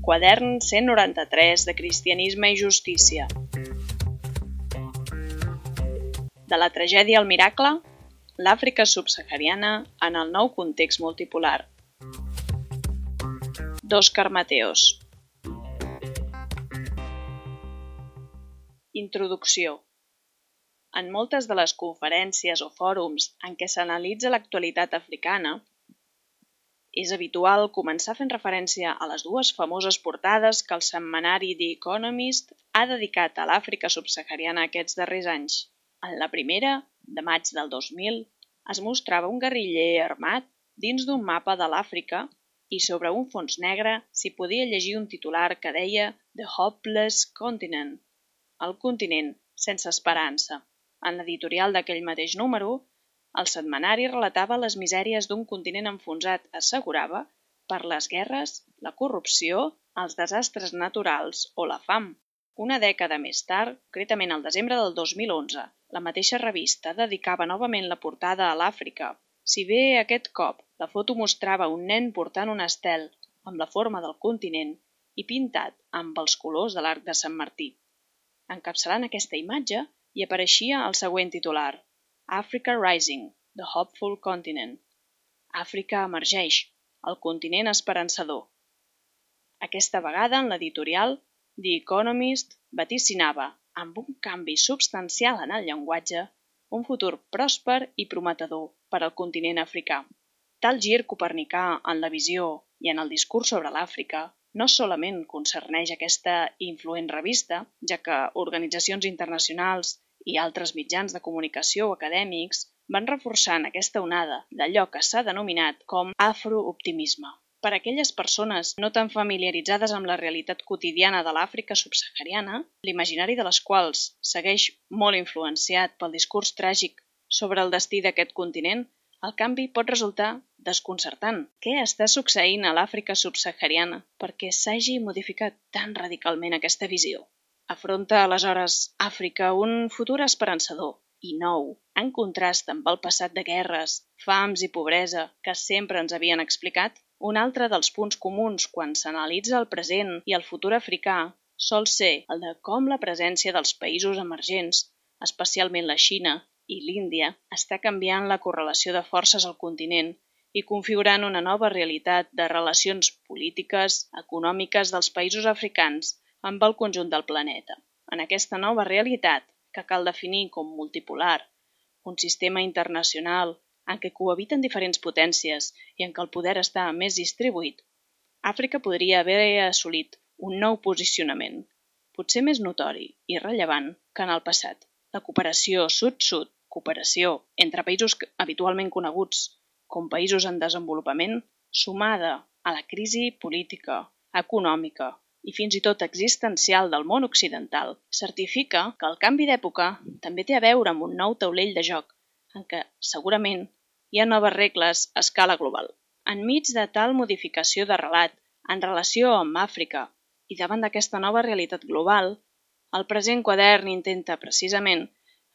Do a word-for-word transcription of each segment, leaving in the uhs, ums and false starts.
Quadern cent noranta-tres de Cristianisme i Justícia. De la tragèdia al miracle, l'Àfrica subsahariana en el nou context multipolar. d'Òscar Mateos. Introducció. En moltes de les conferències o fòrums en què s'analitza l'actualitat africana, és habitual començar fent referència a les dues famoses portades que el setmanari The Economist ha dedicat a l'Àfrica subsahariana aquests darrers anys. En la primera, de maig del dos mil, es mostrava un guerriller armat dins d'un mapa de l'Àfrica i sobre un fons negre s'hi podia llegir un titular que deia The Hopeless Continent, el continent sense esperança. En l'editorial d'aquell mateix número, el setmanari relatava les misèries d'un continent enfonsat, assegurava, per les guerres, la corrupció, els desastres naturals o la fam. Una dècada més tard, concretament al desembre del dos mil onze, la mateixa revista dedicava novament la portada a l'Àfrica. Si bé aquest cop la foto mostrava un nen portant un estel amb la forma del continent i pintat amb els colors de l'arc de Sant Martí. Encapçalant aquesta imatge hi apareixia el següent titular: Africa Rising, the Hopeful Continent. Àfrica emergeix, el continent esperançador. Aquesta vegada, en l'editorial, The Economist vaticinava, amb un canvi substancial en el llenguatge, un futur pròsper i prometedor per al continent africà. Tal gir copernicà en la visió i en el discurs sobre l'Àfrica no solament concerneix aquesta influent revista, ja que organitzacions internacionals i altres mitjans de comunicació o acadèmics van reforçant aquesta onada d'allò que s'ha denominat com afrooptimisme. Per a aquelles persones no tan familiaritzades amb la realitat quotidiana de l'Àfrica subsahariana, l'imaginari de les quals segueix molt influenciat pel discurs tràgic sobre el destí d'aquest continent, el canvi pot resultar desconcertant. Què està succeint a l'Àfrica subsahariana perquè s'hagi modificat tan radicalment aquesta visió? Afronta aleshores Àfrica un futur esperançador i nou, en contrast amb el passat de guerres, fams i pobresa que sempre ens havien explicat? Un altre dels punts comuns quan s'analitza el present i el futur africà sol ser el de com la presència dels països emergents, especialment la Xina i l'Índia, està canviant la correlació de forces al continent i configurant una nova realitat de relacions polítiques, econòmiques dels països africans amb el conjunt del planeta. En aquesta nova realitat, que cal definir com multipolar, un sistema internacional en què cohabiten diferents potències i en què el poder està més distribuït, Àfrica podria haver assolit un nou posicionament, potser més notori i rellevant que en el passat. La cooperació sud-sud, cooperació entre països habitualment coneguts com països en desenvolupament, sumada a la crisi política, econòmica i fins i tot existencial del món occidental, certifica que el canvi d'època també té a veure amb un nou taulell de joc, en què segurament hi ha noves regles a escala global. Enmig de tal modificació de relat en relació amb Àfrica i davant d'aquesta nova realitat global, el present quadern intenta precisament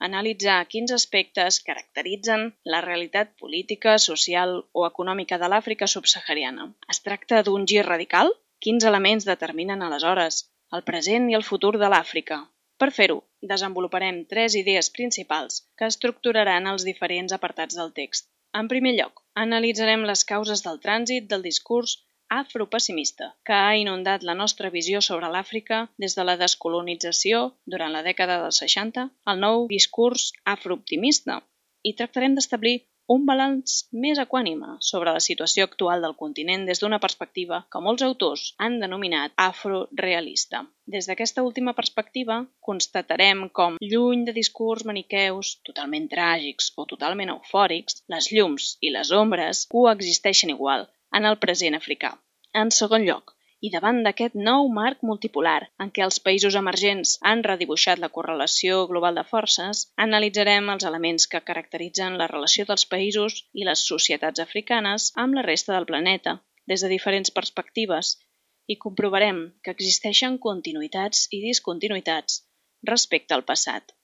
analitzar quins aspectes caracteritzen la realitat política, social o econòmica de l'Àfrica subsahariana. Es tracta d'un gir radical? Quins elements determinen aleshores el present i el futur de l'Àfrica? Per fer-ho, desenvoluparem tres idees principals que estructuraran els diferents apartats del text. En primer lloc, analitzarem les causes del trànsit del discurs afropessimista que ha inundat la nostra visió sobre l'Àfrica des de la descolonització durant la dècada dels seixanta al nou discurs afrooptimista i tractarem d'establir un balanç més equànime sobre la situació actual del continent des d'una perspectiva que molts autors han denominat afrorealista. Des d'aquesta última perspectiva, constatarem com, lluny de discurs maniqueus totalment tràgics o totalment eufòrics, les llums i les ombres coexisteixen igual en el present africà. En segon lloc, i davant d'aquest nou marc multipolar en què els països emergents han redibuixat la correlació global de forces, analitzarem els elements que caracteritzen la relació dels països i les societats africanes amb la resta del planeta, des de diferents perspectives, i comprovarem que existeixen continuïtats i discontinuïtats respecte al passat.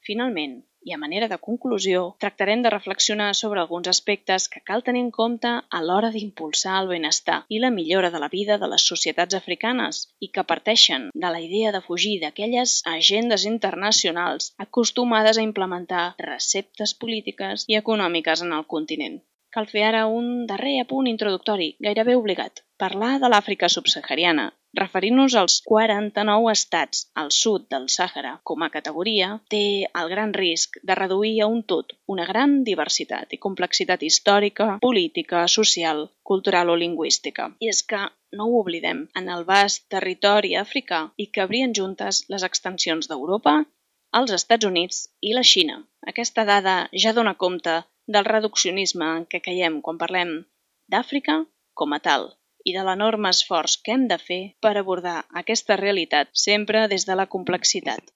Finalment, i a manera de conclusió, tractarem de reflexionar sobre alguns aspectes que cal tenir en compte a l'hora d'impulsar el benestar i la millora de la vida de les societats africanes i que parteixen de la idea de fugir d'aquelles agendes internacionals acostumades a implementar receptes polítiques i econòmiques en el continent. Cal fer ara un darrer apunt introductori, gairebé obligat. Parlar de l'Àfrica subsahariana, referint-nos als quaranta-nou estats al sud del Sàhara com a categoria, té el gran risc de reduir a un tot una gran diversitat i complexitat històrica, política, social, cultural o lingüística. I és que, no ho oblidem, en el vast territori africà hi cabrien juntes les extensions d'Europa, els Estats Units i la Xina. Aquesta dada ja dona compte del reduccionisme en què caiem quan parlem d'Àfrica com a tal i de l'enorme esforç que hem de fer per abordar aquesta realitat sempre des de la complexitat.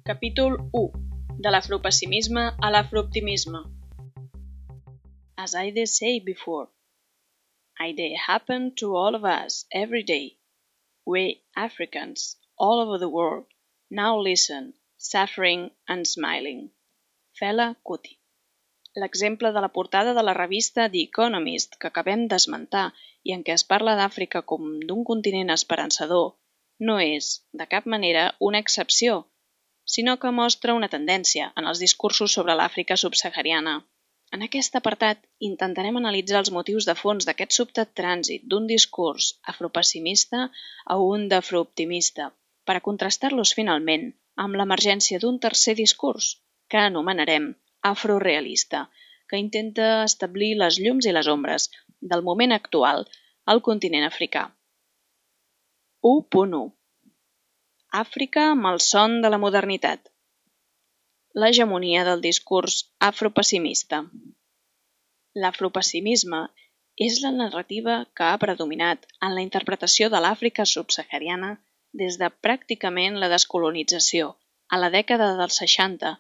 Capítol u. De l'afropessimisme a l'afrooptimisme. As I did say before, it happen to all of us every day. We Africans all over the world now listen, suffering and smiling. Fela Kuti. L'exemple de la portada de la revista The Economist que acabem d'esmentar i en què es parla d'Àfrica com d'un continent esperançador no és, de cap manera, una excepció, sinó que mostra una tendència en els discursos sobre l'Àfrica subsahariana. En aquest apartat intentarem analitzar els motius de fons d'aquest sobtat trànsit d'un discurs afropessimista a un d'afrooptimista, per a contrastar-los finalment amb l'emergència d'un tercer discurs, que anomenarem afrorealista, que intenta establir les llums i les ombres del moment actual al continent africà. u punt u. Àfrica malson de la modernitat. L'hegemonia del discurs afropessimista. L'afropessimisme és la narrativa que ha predominat en la interpretació de l'Àfrica subsahariana des de pràcticament la descolonització, a la dècada dels seixanta,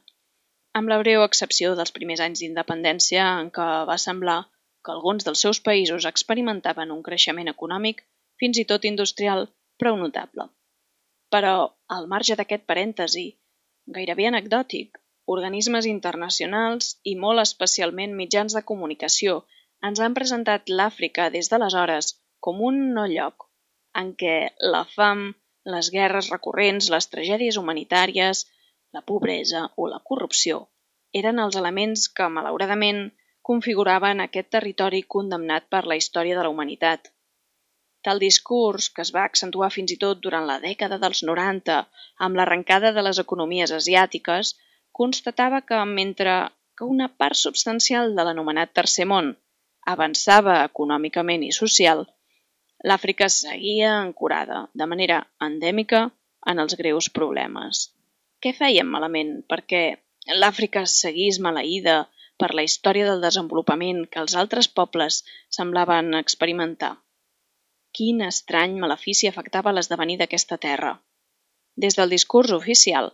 amb la breu excepció dels primers anys d'independència en què va semblar que alguns dels seus països experimentaven un creixement econòmic, fins i tot industrial, prou notable. Però, al marge d'aquest parèntesi, gairebé anecdòtic, organismes internacionals i molt especialment mitjans de comunicació ens han presentat l'Àfrica des d'aleshores com un no lloc, en què la fam, les guerres recurrents, les tragèdies humanitàries, la pobresa o la corrupció eren els elements que, malauradament, configuraven aquest territori condemnat per la història de la humanitat. Tal discurs, que es va accentuar fins i tot durant la dècada dels noranta amb l'arrencada de les economies asiàtiques, constatava que mentre que una part substancial de l'anomenat Tercer Món avançava econòmicament i social, l'Àfrica seguia ancorada, de manera endèmica, en els greus problemes. Què fèiem malament perquè l'Àfrica seguís maleïda per la història del desenvolupament que els altres pobles semblaven experimentar? Quin estrany malefici afectava l'esdevenir d'aquesta terra? Des del discurs oficial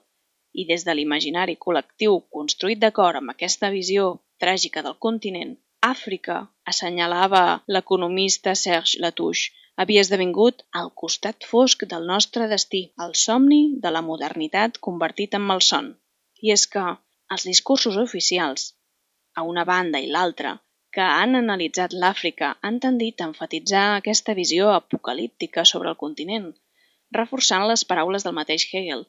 i des de l'imaginari col·lectiu construït d'acord amb aquesta visió tràgica del continent, Àfrica, assenyalava l'economista Serge Latouche, havia esdevingut al costat fosc del nostre destí, el somni de la modernitat convertit en malson. I és que els discursos oficials, a una banda i l'altra, que han analitzat l'Àfrica han tendit a enfatitzar aquesta visió apocalíptica sobre el continent, reforçant les paraules del mateix Hegel,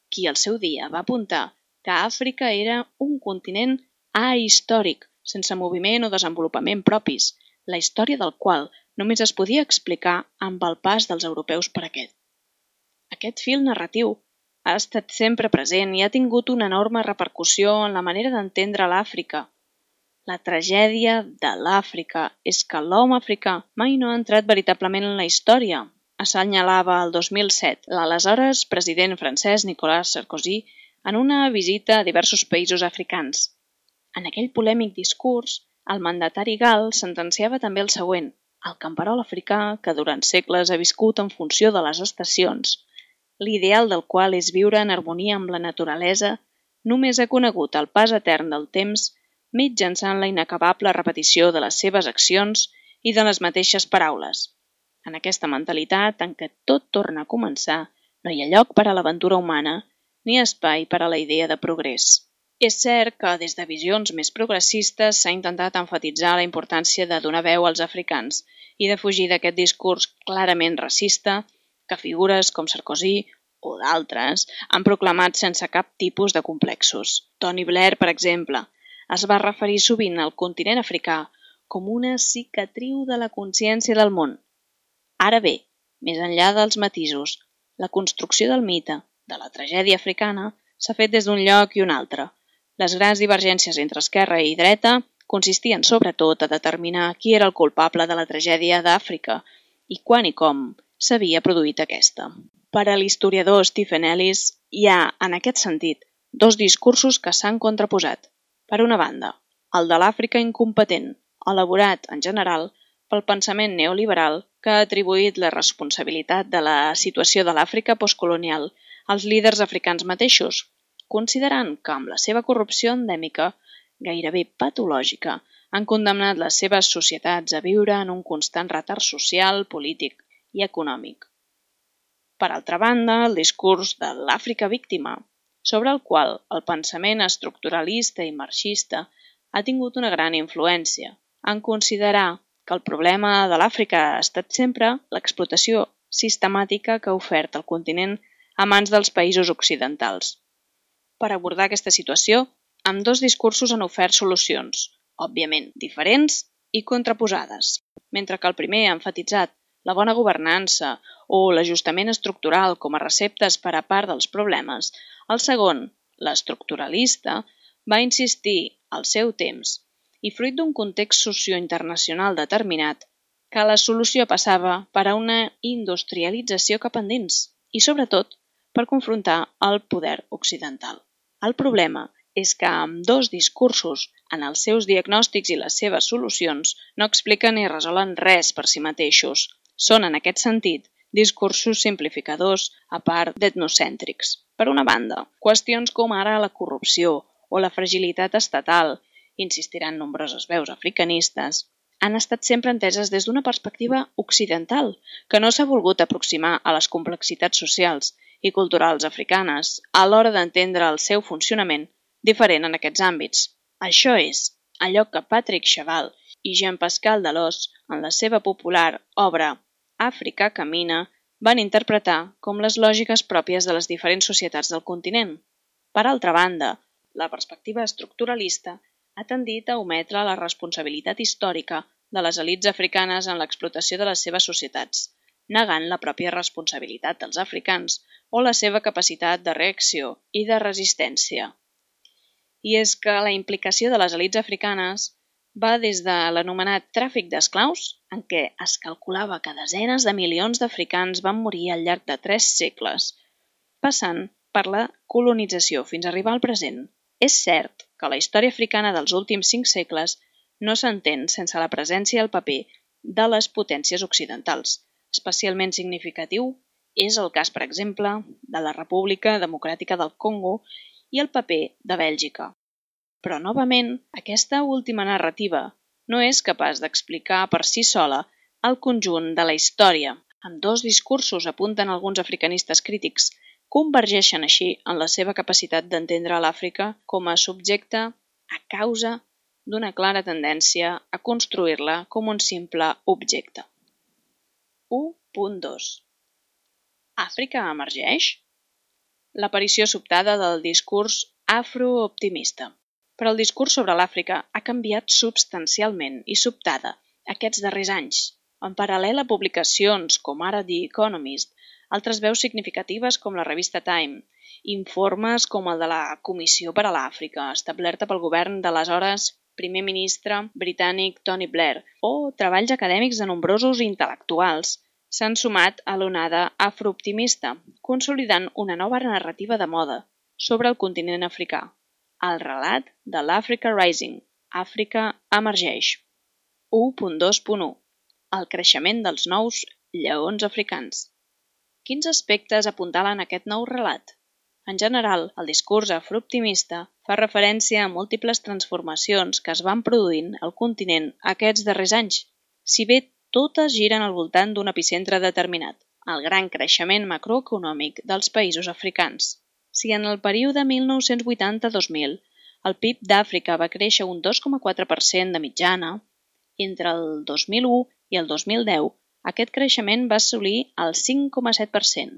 qui al seu dia va apuntar que Àfrica era un continent ahistòric, sense moviment o desenvolupament propis, la història del qual només es podia explicar amb el pas dels europeus per aquest. Aquest fil narratiu ha estat sempre present i ha tingut una enorme repercussió en la manera d'entendre l'Àfrica. La tragèdia de l'Àfrica és que l'home africà mai no ha entrat veritablement en la història, assenyalava el dos mil set l'aleshores president francès Nicolas Sarkozy en una visita a diversos països africans. En aquell polèmic discurs, el mandatari gal sentenciava també el següent: el camperol africà, que durant segles ha viscut en funció de les estacions, l'ideal del qual és viure en harmonia amb la naturalesa, només ha conegut el pas etern del temps mitjançant la inacabable repetició de les seves accions i de les mateixes paraules. En aquesta mentalitat en què tot torna a començar, no hi ha lloc per a l'aventura humana ni espai per a la idea de progrés. És cert que des de visions més progressistes s'ha intentat emfatitzar la importància de donar veu als africans i de fugir d'aquest discurs clarament racista que figures com Sarkozy o d'altres han proclamat sense cap tipus de complexos. Tony Blair, per exemple, es va referir sovint al continent africà com una cicatriu de la consciència del món. Ara bé, més enllà dels matisos, la construcció del mite, de la tragèdia africana, s'ha fet des d'un lloc i un altre. Les grans divergències entre esquerra i dreta consistien sobretot a determinar qui era el culpable de la tragèdia d'Àfrica i quan i com s'havia produït aquesta. Per a l'historiador Stephen Ellis, hi ha, en aquest sentit, dos discursos que s'han contraposat. Per una banda, el de l'Àfrica incompetent, elaborat, en general, pel pensament neoliberal que ha atribuït la responsabilitat de la situació de l'Àfrica postcolonial als líders africans mateixos, considerant que amb la seva corrupció endèmica, gairebé patològica, han condemnat les seves societats a viure en un constant retard social, polític i econòmic. Per altra banda, el discurs de l'Àfrica víctima, sobre el qual el pensament estructuralista i marxista ha tingut una gran influència, en considerar que el problema de l'Àfrica ha estat sempre l'explotació sistemàtica que ha ofert el continent a mans dels països occidentals. Per abordar aquesta situació, ambdós discursos han ofert solucions, òbviament diferents i contraposades. Mentre que el primer ha enfatitzat la bona governança o l'ajustament estructural com a receptes per a part dels problemes, el segon, l'estructuralista, va insistir al seu temps i fruit d'un context sociointernacional determinat, que la solució passava per a una industrialització cap endins i, sobretot, per confrontar el poder occidental. El problema és que ambdós discursos, en els seus diagnòstics i les seves solucions, no expliquen ni resolen res per si mateixos. Són, en aquest sentit, discursos simplificadors a part d'etnocèntrics. Per una banda, qüestions com ara la corrupció o la fragilitat estatal, insistiran nombroses veus africanistes, han estat sempre enteses des d'una perspectiva occidental, que no s'ha volgut aproximar a les complexitats socials i culturals africanes a l'hora d'entendre el seu funcionament diferent en aquests àmbits. Això és allò que Patrick Chaval i Jean-Pascal Delors, en la seva popular obra Àfrica camina, van interpretar com les lògiques pròpies de les diferents societats del continent. Per altra banda, la perspectiva estructuralista ha tendit a ometre la responsabilitat històrica de les elits africanes en l'explotació de les seves societats, negant la pròpia responsabilitat dels africans o la seva capacitat de reacció i de resistència. I és que la implicació de les elits africanes va des de l'anomenat tràfic d'esclaus, en què es calculava que desenes de milions d'africans van morir al llarg de tres segles, passant per la colonització fins a arribar al present. És cert que la història africana dels últims cinc segles no s'entén sense la presència i el paper de les potències occidentals. Especialment significatiu és el cas, per exemple, de la República Democràtica del Congo i el paper de Bèlgica. Però, novament, aquesta última narrativa no és capaç d'explicar per si sola el conjunt de la història. Ambdós discursos, apunten alguns africanistes crítics, convergeixen així en la seva capacitat d'entendre l'Àfrica com a subjecte a causa d'una clara tendència a construir-la com un simple objecte. u punt dos. Àfrica emergeix? L'aparició sobtada del discurs afrooptimista. Però el discurs sobre l'Àfrica ha canviat substancialment i sobtada aquests darrers anys. En paral·lel a publicacions com ara The Economist, altres veus significatives com la revista Time, informes com el de la Comissió per a l'Àfrica, establerta pel govern de l'aleshores primer ministre britànic Tony Blair, o treballs acadèmics de nombrosos intel·lectuals, s'han sumat a l'onada afrooptimista, consolidant una nova narrativa de moda sobre el continent africà, el relat de l'Africa Rising, Àfrica emergeix. u punt dos punt u. El creixement dels nous lleons africans. Quins aspectes apuntalen aquest nou relat? En general, el discurs afrooptimista fa referència a múltiples transformacions que es van produint al continent aquests darrers anys, si bé totes giren al voltant d'un epicentre determinat, el gran creixement macroeconòmic dels països africans. Si en el període mil nou-cents vuitanta a dos mil el P I B d'Àfrica va créixer un dos coma quatre per cent de mitjana, entre el dos mil u i el dos mil deu aquest creixement va assolir el cinc coma set per cent,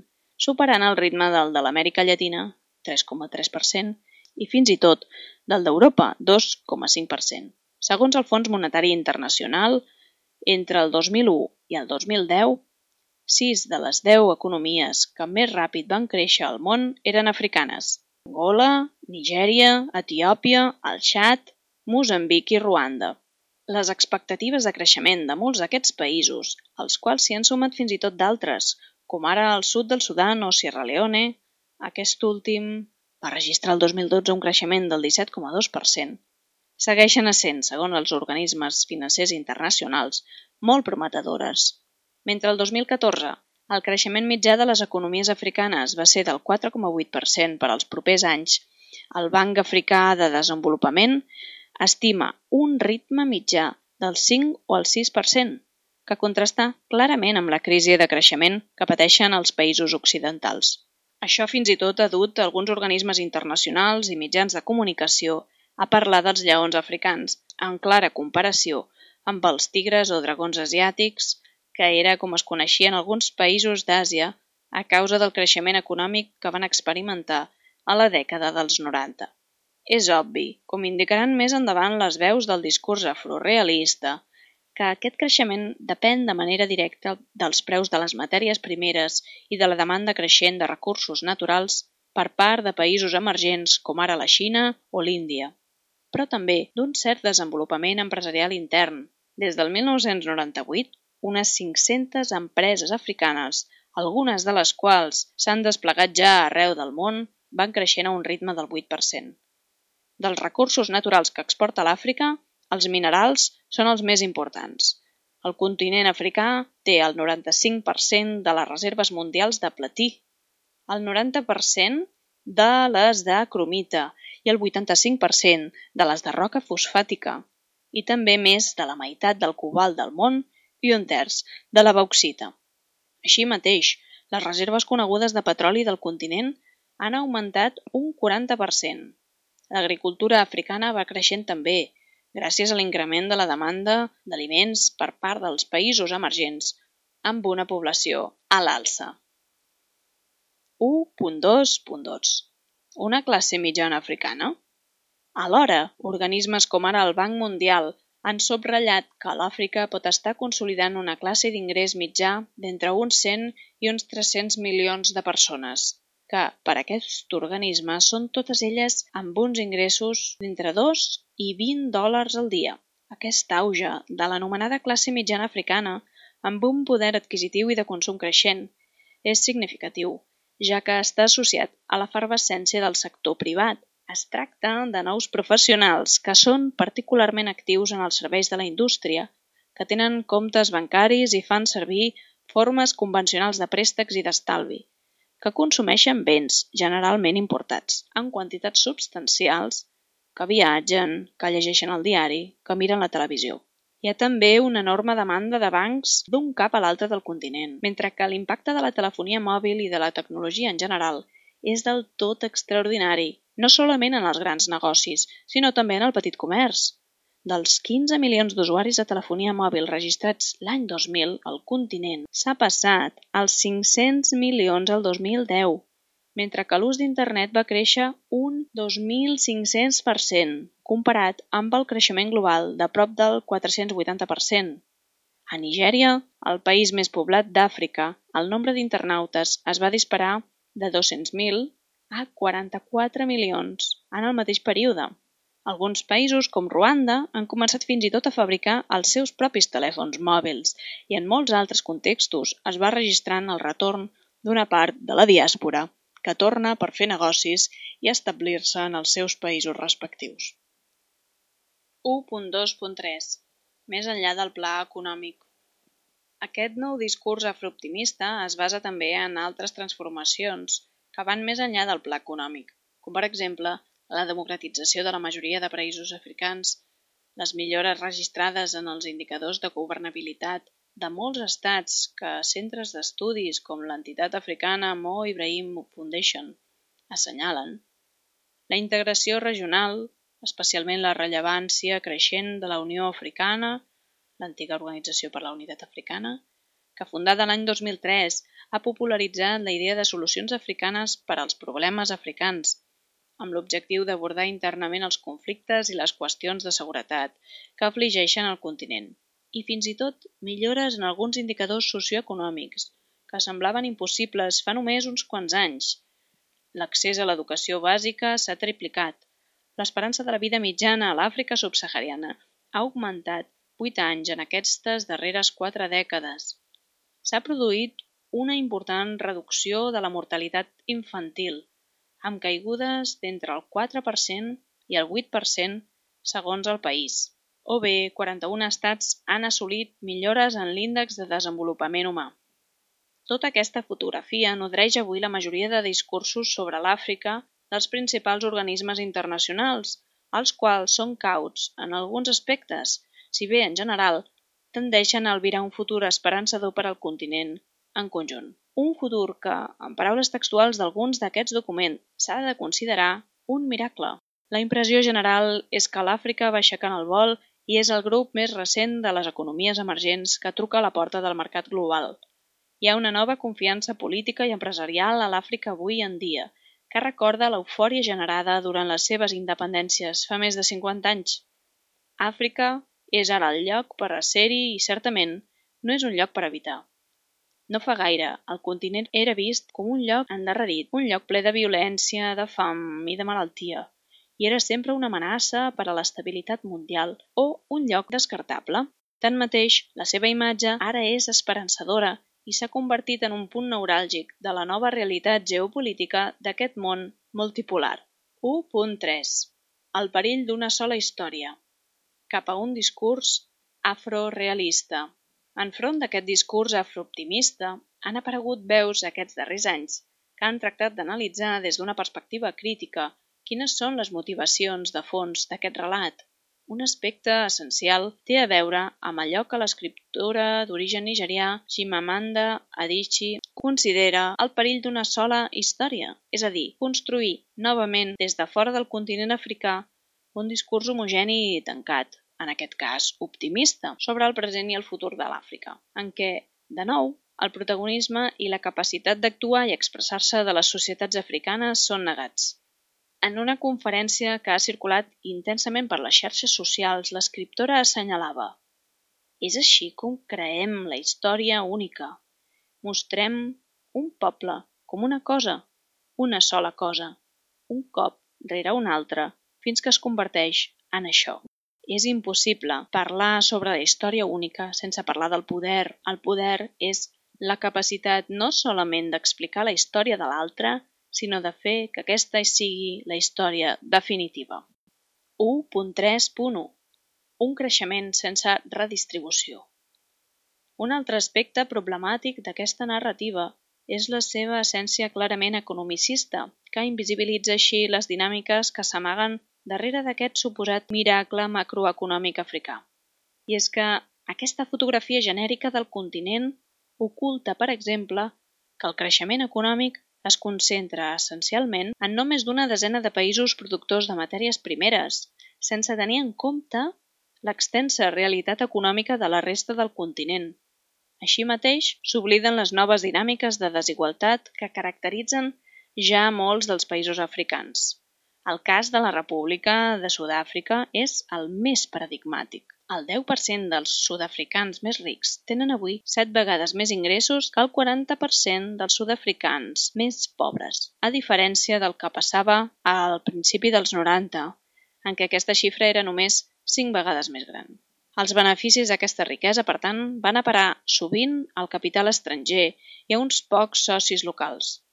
superant el ritme del de l'Amèrica Llatina, tres coma tres per cent, i fins i tot del d'Europa, dos coma cinc per cent. Segons el Fons Monetari Internacional, entre el dos mil u i el dos mil deu, sis de les deu economies que més ràpid van créixer al món eren africanes: Angola, Nigèria, Etiòpia, el Txad, Moçambic i Ruanda. Les expectatives de creixement de molts d'aquests països, als quals s'hi han sumat fins i tot d'altres, com ara el sud del Sudan o Sierra Leone, aquest últim va registrar el dos mil dotze un creixement del disset coma dos per cent, segueixen essent, segons els organismes financers internacionals, molt prometedores. Mentre el dos mil catorze el creixement mitjà de les economies africanes va ser del quatre coma vuit per cent per als propers anys, el Banc Africà de Desenvolupament estima un ritme mitjà del cinc o el sis per cent, que contrasta clarament amb la crisi de creixement que pateixen els països occidentals. Això fins i tot ha dut alguns organismes internacionals i mitjans de comunicació a parlar dels lleons africans, en clara comparació amb els tigres o dragons asiàtics, que era com es coneixien alguns països d'Àsia a causa del creixement econòmic que van experimentar a la dècada dels noranta. És obvi, com indicaran més endavant les veus del discurs afrorealista, que aquest creixement depèn de manera directa dels preus de les matèries primeres i de la demanda creixent de recursos naturals per part de països emergents com ara la Xina o l'Índia, però també d'un cert desenvolupament empresarial intern. Des del mil nou-cents noranta-vuit, unes cinc-centes empreses africanes, algunes de les quals s'han desplegat ja arreu del món, van creixent a un ritme del vuit per cent. Dels recursos naturals que exporta l'Àfrica, els minerals són els més importants. El continent africà té el noranta-cinc per cent de les reserves mundials de platí, el noranta per cent de les de cromita i el vuitanta-cinc per cent de les de roca fosfàtica, i també més de la meitat del cobalt del món i un terç de la bauxita. Així mateix, les reserves conegudes de petroli del continent han augmentat un quaranta per cent. L'agricultura africana va creixent també, gràcies a l'increment de la demanda d'aliments per part dels països emergents amb una població a l'alça. u punt dos punt dos. Una classe mitjana africana? Alhora, organismes com ara el Banc Mundial han subratllat que l'Àfrica pot estar consolidant una classe d'ingrés mitjà d'entre uns cent i uns tres-cents milions de persones, que, per aquest organisme, són totes elles amb uns ingressos d'entre dos i vint dòlars al dia. Aquest auge de l'anomenada classe mitjana africana, amb un poder adquisitiu i de consum creixent, és significatiu, ja que està associat a l'efervescència del sector privat. Es tracta de nous professionals que són particularment actius en els serveis de la indústria, que tenen comptes bancaris i fan servir formes convencionals de préstecs i d'estalvi, que consumeixen béns generalment importats en quantitats substancials, que viatgen, que llegeixen el diari, que miren la televisió. Hi ha també una enorme demanda de bancs d'un cap a l'altre del continent, mentre que l'impacte de la telefonia mòbil i de la tecnologia en general és del tot extraordinari, no solament en els grans negocis, sinó també en el petit comerç. Dels quinze milions d'usuaris de telefonia mòbil registrats l'any dos mil al continent, s'ha passat als cinc-cents milions el dos mil deu, mentre que l'ús d'internet va créixer un dos mil cinc-cents per cent, comparat amb el creixement global de prop del quatre-cents vuitanta per cent. A Nigèria, el país més poblat d'Àfrica, el nombre d'internautes es va disparar de dos-cents mil a quaranta-quatre milions en el mateix període. Alguns països, com Ruanda, han començat fins i tot a fabricar els seus propis telèfons mòbils i en molts altres contextos es va registrant el retorn d'una part de la diàspora que torna per fer negocis i establir-se en els seus països respectius. u punt dos punt tres. Més enllà del pla econòmic. Aquest nou discurs afrooptimista es basa també en altres transformacions que van més enllà del pla econòmic, com per exemple la democratització de la majoria de països africans, les millores registrades en els indicadors de governabilitat de molts estats que centres d'estudis com l'entitat africana Mo Ibrahim Foundation assenyalen la integració regional, especialment la rellevància creixent de la Unió Africana, l'antiga Organització per la Unitat Africana, que fundada l'any dos mil tres ha popularitzat la idea de solucions africanes per als problemes africans, amb l'objectiu d'abordar internament els conflictes i les qüestions de seguretat que afligeixen el continent, i fins i tot millores en alguns indicadors socioeconòmics que semblaven impossibles fa només uns quants anys. L'accés a l'educació bàsica s'ha triplicat. L'esperança de la vida mitjana a l'Àfrica subsahariana ha augmentat vuit anys en aquestes darreres quatre dècades. S'ha produït una important reducció de la mortalitat infantil, amb caigudes d'entre el quatre per cent i el vuit per cent segons el país, o bé quaranta-un estats han assolit millores en l'índex de desenvolupament humà. Tota aquesta fotografia nodreix avui la majoria de discursos sobre l'Àfrica dels principals organismes internacionals, els quals són cauts en alguns aspectes, si bé en general tendeixen a albirar un futur esperançador per al continent en conjunt. Un futur que, en paraules textuals d'alguns d'aquests documents, s'ha de considerar un miracle. La impressió general és que l'Àfrica va aixecant el vol i és el grup més recent de les economies emergents que truca a la porta del mercat global. Hi ha una nova confiança política i empresarial a l'Àfrica avui en dia, que recorda l'eufòria generada durant les seves independències fa més de cinquanta anys. Àfrica és ara el lloc per a ser-hi i, certament, no és un lloc per habitar. No fa gaire, el continent era vist com un lloc endarrerit, un lloc ple de violència, de fam i de malaltia, i era sempre una amenaça per a l'estabilitat mundial o un lloc descartable. Tanmateix, la seva imatge ara és esperançadora i s'ha convertit en un punt neuràlgic de la nova realitat geopolítica d'aquest món multipolar. u punt tres. El perill d'una sola història. Cap a un discurs afrorealista. Enfront d'aquest discurs afrooptimista, han aparegut veus aquests darrers anys que han tractat d'analitzar des d'una perspectiva crítica quines són les motivacions de fons d'aquest relat. Un aspecte essencial té a veure amb allò que l'escriptora d'origen nigerià Chimamanda Adichie considera el perill d'una sola història, és a dir, construir novament des de fora del continent africà un discurs homogeni i tancat, en aquest cas optimista, sobre el present i el futur de l'Àfrica, en què, de nou, el protagonisme i la capacitat d'actuar i expressar-se de les societats africanes són negats. En una conferència que ha circulat intensament per les xarxes socials, l'escriptora assenyalava: «És així com creem la història única. Mostrem un poble com una cosa, una sola cosa, un cop rere un altre, fins que es converteix en això». És impossible parlar sobre la història única sense parlar del poder. El poder és la capacitat no solament d'explicar la història de l'altre, sinó de fer que aquesta sigui la història definitiva. u punt tres punt u. Un creixement sense redistribució. Un altre aspecte problemàtic d'aquesta narrativa és la seva essència clarament economicista, que invisibilitza així les dinàmiques que s'amaguen darrere d'aquest suposat miracle macroeconòmic africà. I és que aquesta fotografia genèrica del continent oculta, per exemple, que el creixement econòmic es concentra essencialment en només d'una desena de països productors de matèries primeres, sense tenir en compte l'extensa realitat econòmica de la resta del continent. Així mateix, s'obliden les noves dinàmiques de desigualtat que caracteritzen ja molts dels països africans. El cas de la República de Sud-àfrica és el més paradigmàtic. El deu per cent dels sud-africans més rics tenen avui set vegades més ingressos que el quaranta per cent dels sud-africans més pobres, a diferència del que passava al principi dels noranta, en què aquesta xifra era només cinc vegades més gran. Els beneficis d'aquesta riquesa, per tant, van a parar sovint al capital estranger i a uns pocs socis locals.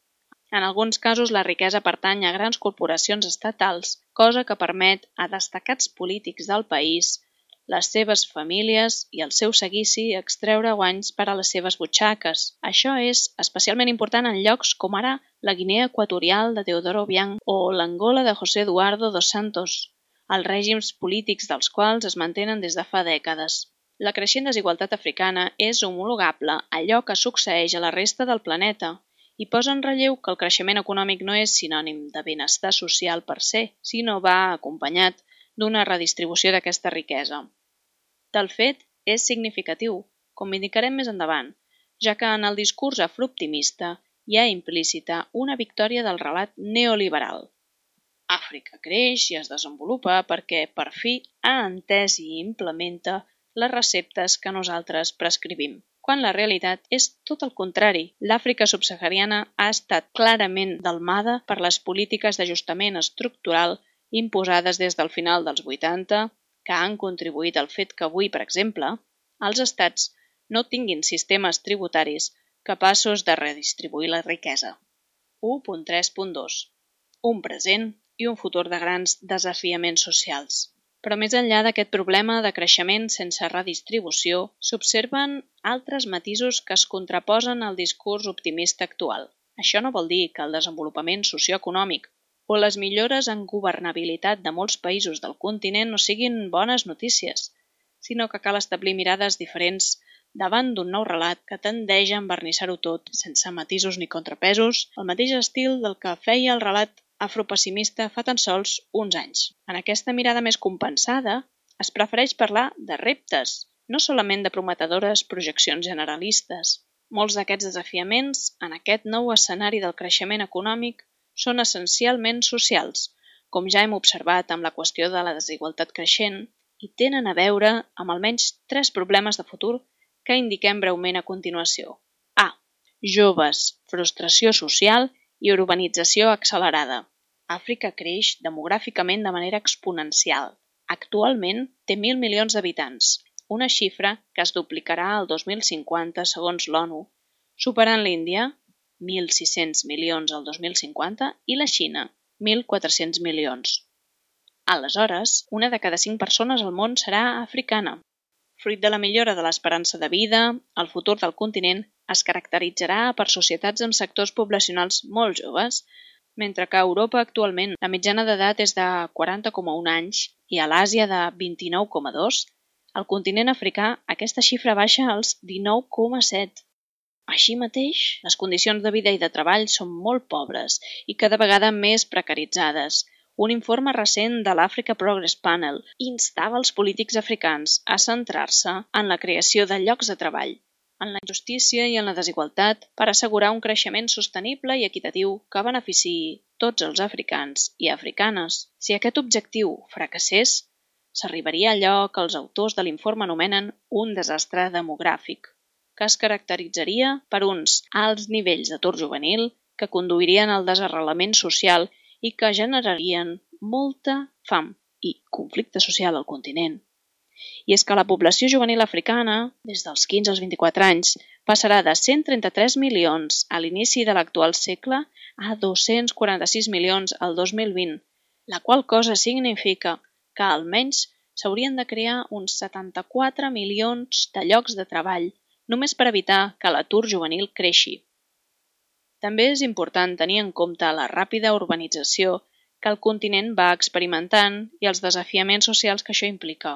En alguns casos, la riquesa pertany a grans corporacions estatals, cosa que permet a destacats polítics del país, les seves famílies i el seu seguici extreure guanys per a les seves butxaques. Això és especialment important en llocs com ara la Guinea Equatorial de Teodoro Obiang o l'Angola de José Eduardo dos Santos, els règims polítics dels quals es mantenen des de fa dècades. La creixent desigualtat africana és homologable a allò que succeeix a la resta del planeta i posa en relleu que el creixement econòmic no és sinònim de benestar social per se, sinó va acompanyat d'una redistribució d'aquesta riquesa. Del fet, és significatiu, com indicarem més endavant, ja que en el discurs afrooptimista hi ha implícita una victòria del relat neoliberal. Àfrica creix i es desenvolupa perquè, per fi, ha entès i implementa les receptes que nosaltres prescrivim, quan la realitat és tot el contrari. L'Àfrica subsahariana ha estat clarament delmada per les polítiques d'ajustament estructural imposades des del final dels vuitanta, que han contribuït al fet que avui, per exemple, els estats no tinguin sistemes tributaris capaços de redistribuir la riquesa. u punt tres punt dos. Un present i un futur de grans desafiaments socials. Però més enllà d'aquest problema de creixement sense redistribució, s'observen altres matisos que es contraposen al discurs optimista actual. Això no vol dir que el desenvolupament socioeconòmic o les millores en governabilitat de molts països del continent no siguin bones notícies, sinó que cal establir mirades diferents davant d'un nou relat que tendeix a envernissar-ho tot, sense matisos ni contrapesos, al mateix estil del que feia el relat afropessimista fa tan sols uns anys. En aquesta mirada més compensada, es prefereix parlar de reptes, no solament de prometedores projeccions generalistes. Molts d'aquests desafiaments, en aquest nou escenari del creixement econòmic, són essencialment socials, com ja hem observat amb la qüestió de la desigualtat creixent, i tenen a veure amb almenys tres problemes de futur que indiquem breument a continuació. A. Joves, frustració social i urbanització accelerada. Àfrica creix demogràficament de manera exponencial. Actualment té mil milions d'habitants, una xifra que es duplicarà al dos mil cinquanta segons l'ONU, superant l'Índia, mil sis-cents milions al dos mil cinquanta, i la Xina, mil quatre-cents milions. Aleshores, una de cada cinc persones al món serà africana. Fruit de la millora de l'esperança de vida, el futur del continent es caracteritzarà per societats amb sectors poblacionals molt joves, mentre que a Europa actualment la mitjana d'edat és de quaranta coma un anys i a l'Àsia de vint-i-nou coma dos, al continent africà aquesta xifra baixa als dinou coma set. Així mateix, les condicions de vida i de treball són molt pobres i cada vegada més precaritzades. Un informe recent de l'Africa Progress Panel instava els polítics africans a centrar-se en la creació de llocs de treball, en la injustícia i en la desigualtat per assegurar un creixement sostenible i equitatiu que beneficiï tots els africans i africanes. Si aquest objectiu fracassés, s'arribaria a allò que els autors de l'informe anomenen un desastre demogràfic, que es caracteritzaria per uns alts nivells d'atur juvenil que conduirien al desarrelament social i que generarien molta fam i conflicte social al continent. I és que la població juvenil africana, des dels quinze als vint-i-quatre anys, passarà de cent trenta-tres milions a l'inici de l'actual segle a dos-cents quaranta-sis milions al dos mil vint, la qual cosa significa que almenys s'haurien de crear uns setanta-quatre milions de llocs de treball només per evitar que l'atur juvenil creixi. També és important tenir en compte la ràpida urbanització que el continent va experimentant i els desafiaments socials que això implica.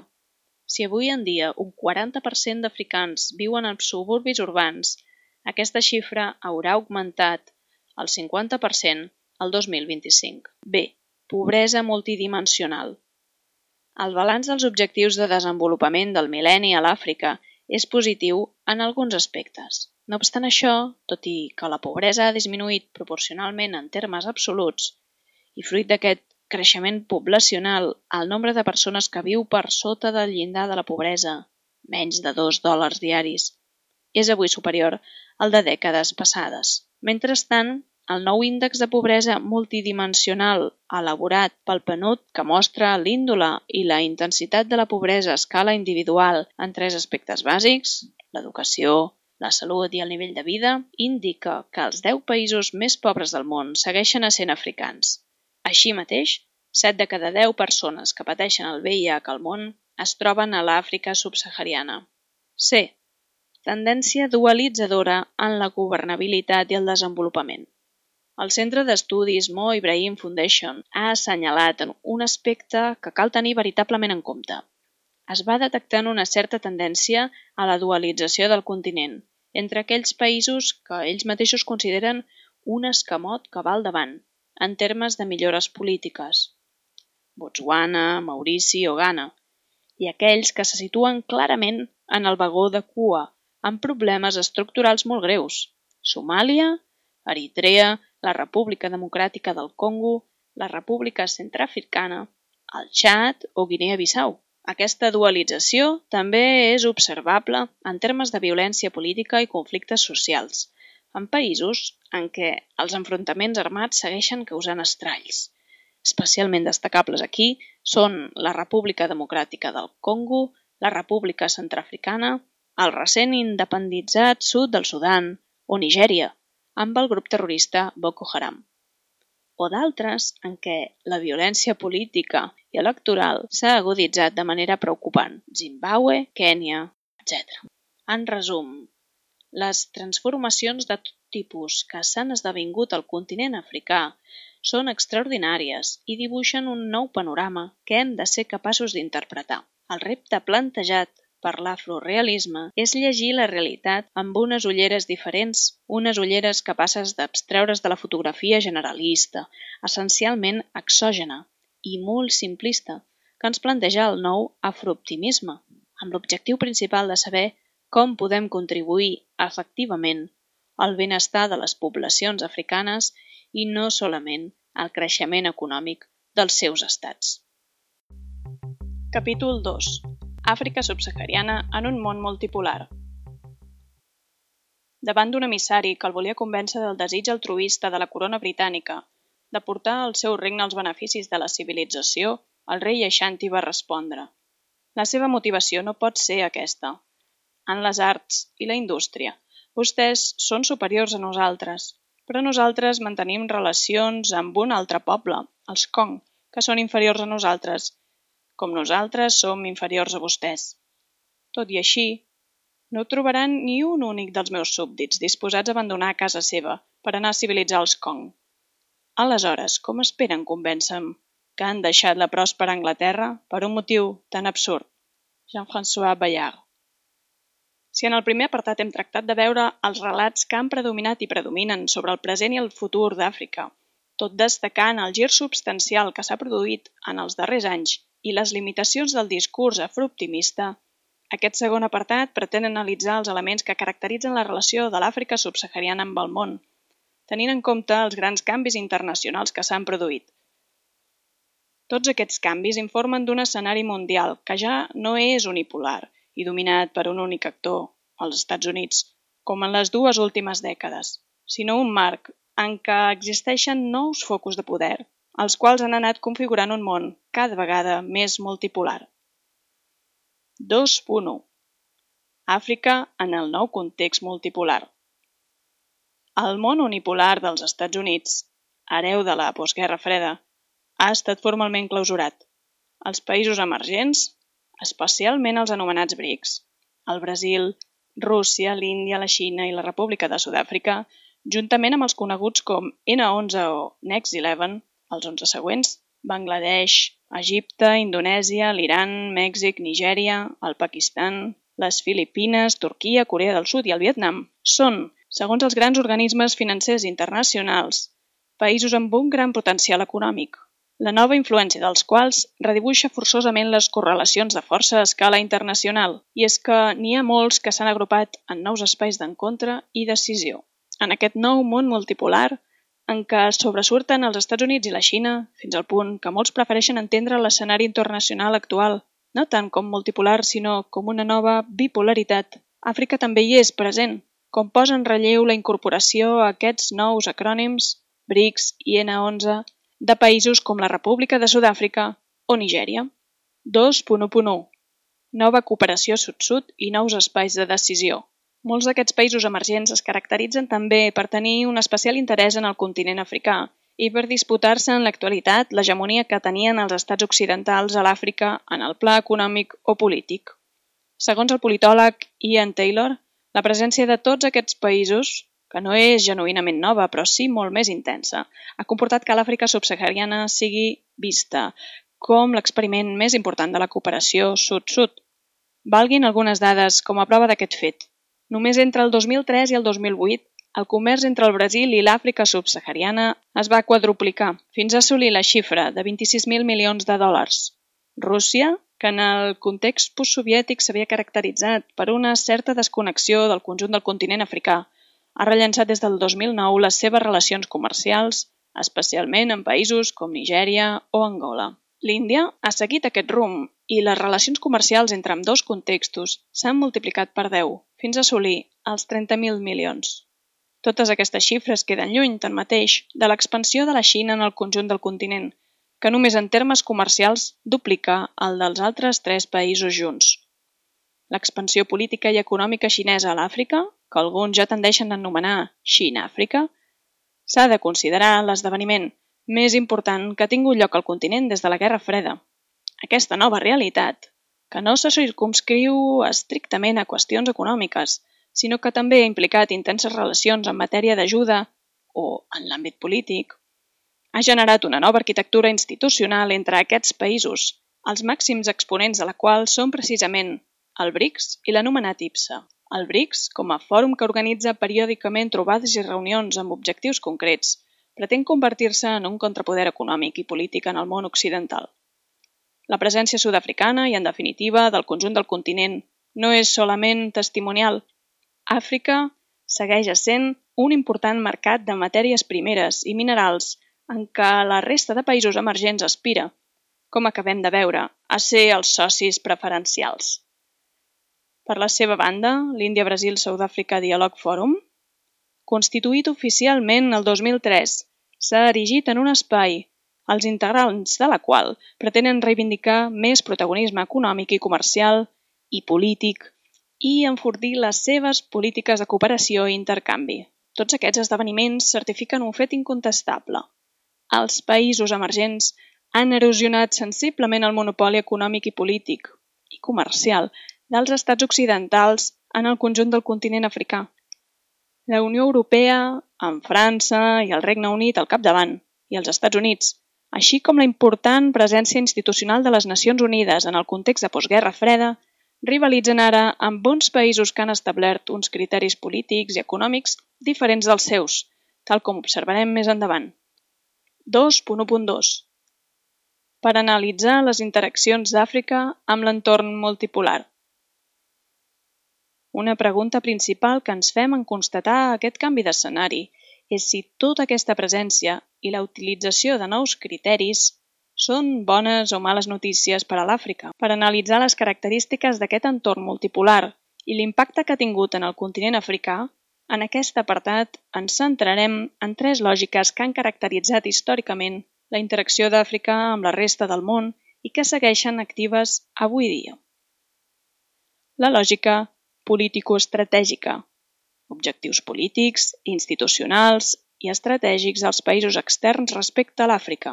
Si avui en dia un quaranta per cent d'africans viuen en suburbis urbans, aquesta xifra haurà augmentat al cinquanta per cent el dos mil vint-i-cinc. B. Pobresa multidimensional. El balanç dels objectius de desenvolupament del mil·lenni a l'Àfrica és positiu en alguns aspectes. No obstant això, tot i que la pobresa ha disminuït proporcionalment en termes absoluts, i fruit d'aquest creixement poblacional, el nombre de persones que viu per sota del llindar de la pobresa, menys de dos dòlars diaris, és avui superior al de dècades passades. Mentrestant, el nou índex de pobresa multidimensional elaborat pel P N U D, que mostra l'índole i la intensitat de la pobresa a escala individual en tres aspectes bàsics, l'educació, la salut i el nivell de vida, indica que els deu països més pobres del món segueixen essent africans. Així mateix, set de cada deu persones que pateixen el V I H al món es troben a l'Àfrica subsahariana. C. Tendència dualitzadora en la governabilitat i el desenvolupament. El Centre d'Estudis Mo Ibrahim Foundation ha assenyalat un aspecte que cal tenir veritablement en compte. Es va detectant una certa tendència a la dualització del continent entre aquells països que ells mateixos consideren un escamot que va al davant, en termes de millores polítiques. Botswana, Maurici o Ghana, i aquells que se situen clarament en el vagó de cua, amb problemes estructurals molt greus. Somàlia, Eritrea, la República Democràtica del Congo, la República Centreafricana, el Txad o Guinea-Bissau. Aquesta dualització també és observable en termes de violència política i conflictes socials, en països en què els enfrontaments armats segueixen causant estralls. Especialment destacables aquí són la República Democràtica del Congo, la República Centreafricana, el recent independitzat sud del Sudan o Nigèria, amb el grup terrorista Boko Haram. O d'altres en què la violència política i electoral s'ha aguditzat de manera preocupant, Zimbabue, Kènia, etcètera. En resum, les transformacions de tot tipus que s'han esdevingut al continent africà són extraordinàries i dibuixen un nou panorama que hem de ser capaços d'interpretar. El repte plantejat per l'afrorealisme és llegir la realitat amb unes ulleres diferents, unes ulleres capaces d'abstreure's de la fotografia generalista, essencialment exògena i molt simplista, que ens planteja el nou afrooptimisme, amb l'objectiu principal de saber com podem contribuir efectivament al benestar de les poblacions africanes i no solament al creixement econòmic dels seus estats. Capítol dos. Àfrica subsahariana en un món multipolar. Davant d'un emissari que el volia convèncer del desig altruista de la corona britànica de portar al seu regne els beneficis de la civilització, el rei Ashanti va respondre: la seva motivació no pot ser aquesta. En les arts i la indústria, vostès són superiors a nosaltres, però nosaltres mantenim relacions amb un altre poble, els Kong, que són inferiors a nosaltres, com nosaltres som inferiors a vostès. Tot i així, no trobaran ni un únic dels meus súbdits disposats a abandonar casa seva per anar a civilitzar els Kong. Aleshores, com esperen convèncer-me que han deixat la pròspera Anglaterra per un motiu tan absurd? Jean-François Bayard. Si en el primer apartat hem tractat de veure els relats que han predominat i predominen sobre el present i el futur d'Àfrica, tot destacant el gir substancial que s'ha produït en els darrers anys i les limitacions del discurs afrooptimista, aquest segon apartat pretén analitzar els elements que caracteritzen la relació de l'Àfrica subsahariana amb el món, tenint en compte els grans canvis internacionals que s'han produït. Tots aquests canvis informen d'un escenari mundial que ja no és unipolar i dominat per un únic actor, els Estats Units, com en les dues últimes dècades, sinó un marc en què existeixen nous focus de poder, els quals han anat configurant un món cada vegada més multipolar. dos punt u. Àfrica en el nou context multipolar. El món unipolar dels Estats Units, hereu de la postguerra freda, ha estat formalment clausurat. Els països emergents, especialment els anomenats BRICS, el Brasil, Rússia, l'Índia, la Xina i la República de Sud-àfrica, juntament amb els coneguts com ena onze o Next Eleven, els onze següents, Bangladesh, Egipte, Indonèsia, l'Iran, Mèxic, Nigèria, el Pakistan, les Filipines, Turquia, Corea del Sud i el Vietnam, són, segons els grans organismes financers internacionals, països amb un gran potencial econòmic, la nova influència dels quals redibuixa forçosament les correlacions de força a escala internacional, i és que n'hi ha molts que s'han agrupat en nous espais d'encontre i decisió. En aquest nou món multipolar, en què sobresurten els Estats Units i la Xina, fins al punt que molts prefereixen entendre l'escenari internacional actual, no tant com multipolar, sinó com una nova bipolaritat. Àfrica també hi és present, com posa en relleu la incorporació a aquests nous acrònims, BRICS i ena onze, de països com la República de Sud-àfrica o Nigèria. dos punt u punt u. Nova cooperació sud-sud i nous espais de decisió. Molts d'aquests països emergents es caracteritzen també per tenir un especial interès en el continent africà i per disputar-se en l'actualitat l'hegemonia que tenien els estats occidentals a l'Àfrica en el pla econòmic o polític. Segons el politòleg Ian Taylor, la presència de tots aquests països, que no és genuïnament nova però sí molt més intensa, ha comportat que l'Àfrica subsahariana sigui vista com l'experiment més important de la cooperació sud-sud. Valguin algunes dades com a prova d'aquest fet. Només entre el dos mil tres i el dos mil vuit, el comerç entre el Brasil i l'Àfrica subsahariana es va quadruplicar, fins a assolir la xifra de vint-i-sis mil milions de dòlars. Rússia, que en el context postsoviètic s'havia caracteritzat per una certa desconnexió del conjunt del continent africà, ha rellançat des del dos mil nou les seves relacions comercials, especialment en països com Nigèria o Angola. L'Índia ha seguit aquest rumb i les relacions comercials entre ambdós contextos s'han multiplicat per deu, fins a assolir els trenta mil milions. Totes aquestes xifres queden lluny, tanmateix, de l'expansió de la Xina en el conjunt del continent, que només en termes comercials duplica el dels altres tres països junts. L'expansió política i econòmica xinesa a l'Àfrica, que alguns ja tendeixen a anomenar Xina-Àfrica, s'ha de considerar l'esdeveniment més important que ha tingut lloc al continent des de la Guerra Freda. Aquesta nova realitat, que no se circumscriu estrictament a qüestions econòmiques, sinó que també ha implicat intenses relacions en matèria d'ajuda o en l'àmbit polític, ha generat una nova arquitectura institucional entre aquests països, els màxims exponents de la qual són precisament el BRICS i l'anomenat I P S A. El BRICS, com a fòrum que organitza periòdicament trobades i reunions amb objectius concrets, pretén convertir-se en un contrapoder econòmic i polític en el món occidental. La presència sud-africana i, en definitiva, del conjunt del continent no és solament testimonial. Àfrica segueix essent un important mercat de matèries primeres i minerals en què la resta de països emergents aspira, com acabem de veure, a ser els socis preferencials. Per la seva banda, l'Índia-Brasil-Sud-Àfrica Dialogue Forum, constituït oficialment el dos mil tres, s'ha erigit en un espai, els integrants de la qual pretenen reivindicar més protagonisme econòmic i comercial i polític i enfortir les seves polítiques de cooperació i intercanvi. Tots aquests esdeveniments certifiquen un fet incontestable. Els països emergents han erosionat sensiblement el monopoli econòmic i polític i comercial dels estats occidentals en el conjunt del continent africà. La Unió Europea, amb França i el Regne Unit al capdavant, i els Estats Units, així com la important presència institucional de les Nacions Unides en el context de postguerra freda, rivalitzen ara amb uns països que han establert uns criteris polítics i econòmics diferents dels seus, tal com observarem més endavant. dos punt u punt dos. Per analitzar les interaccions d'Àfrica amb l'entorn multipolar. Una pregunta principal que ens fem en constatar aquest canvi d'escenari és si tota aquesta presència i la utilització de nous criteris són bones o males notícies per a l'Àfrica. Per analitzar les característiques d'aquest entorn multipolar i l'impacte que ha tingut en el continent africà, en aquest apartat ens centrarem en tres lògiques que han caracteritzat històricament la interacció d'Àfrica amb la resta del món i que segueixen actives avui dia. La lògica político-estratègica, objectius polítics, institucionals i estratègics dels països externs respecte a l'Àfrica,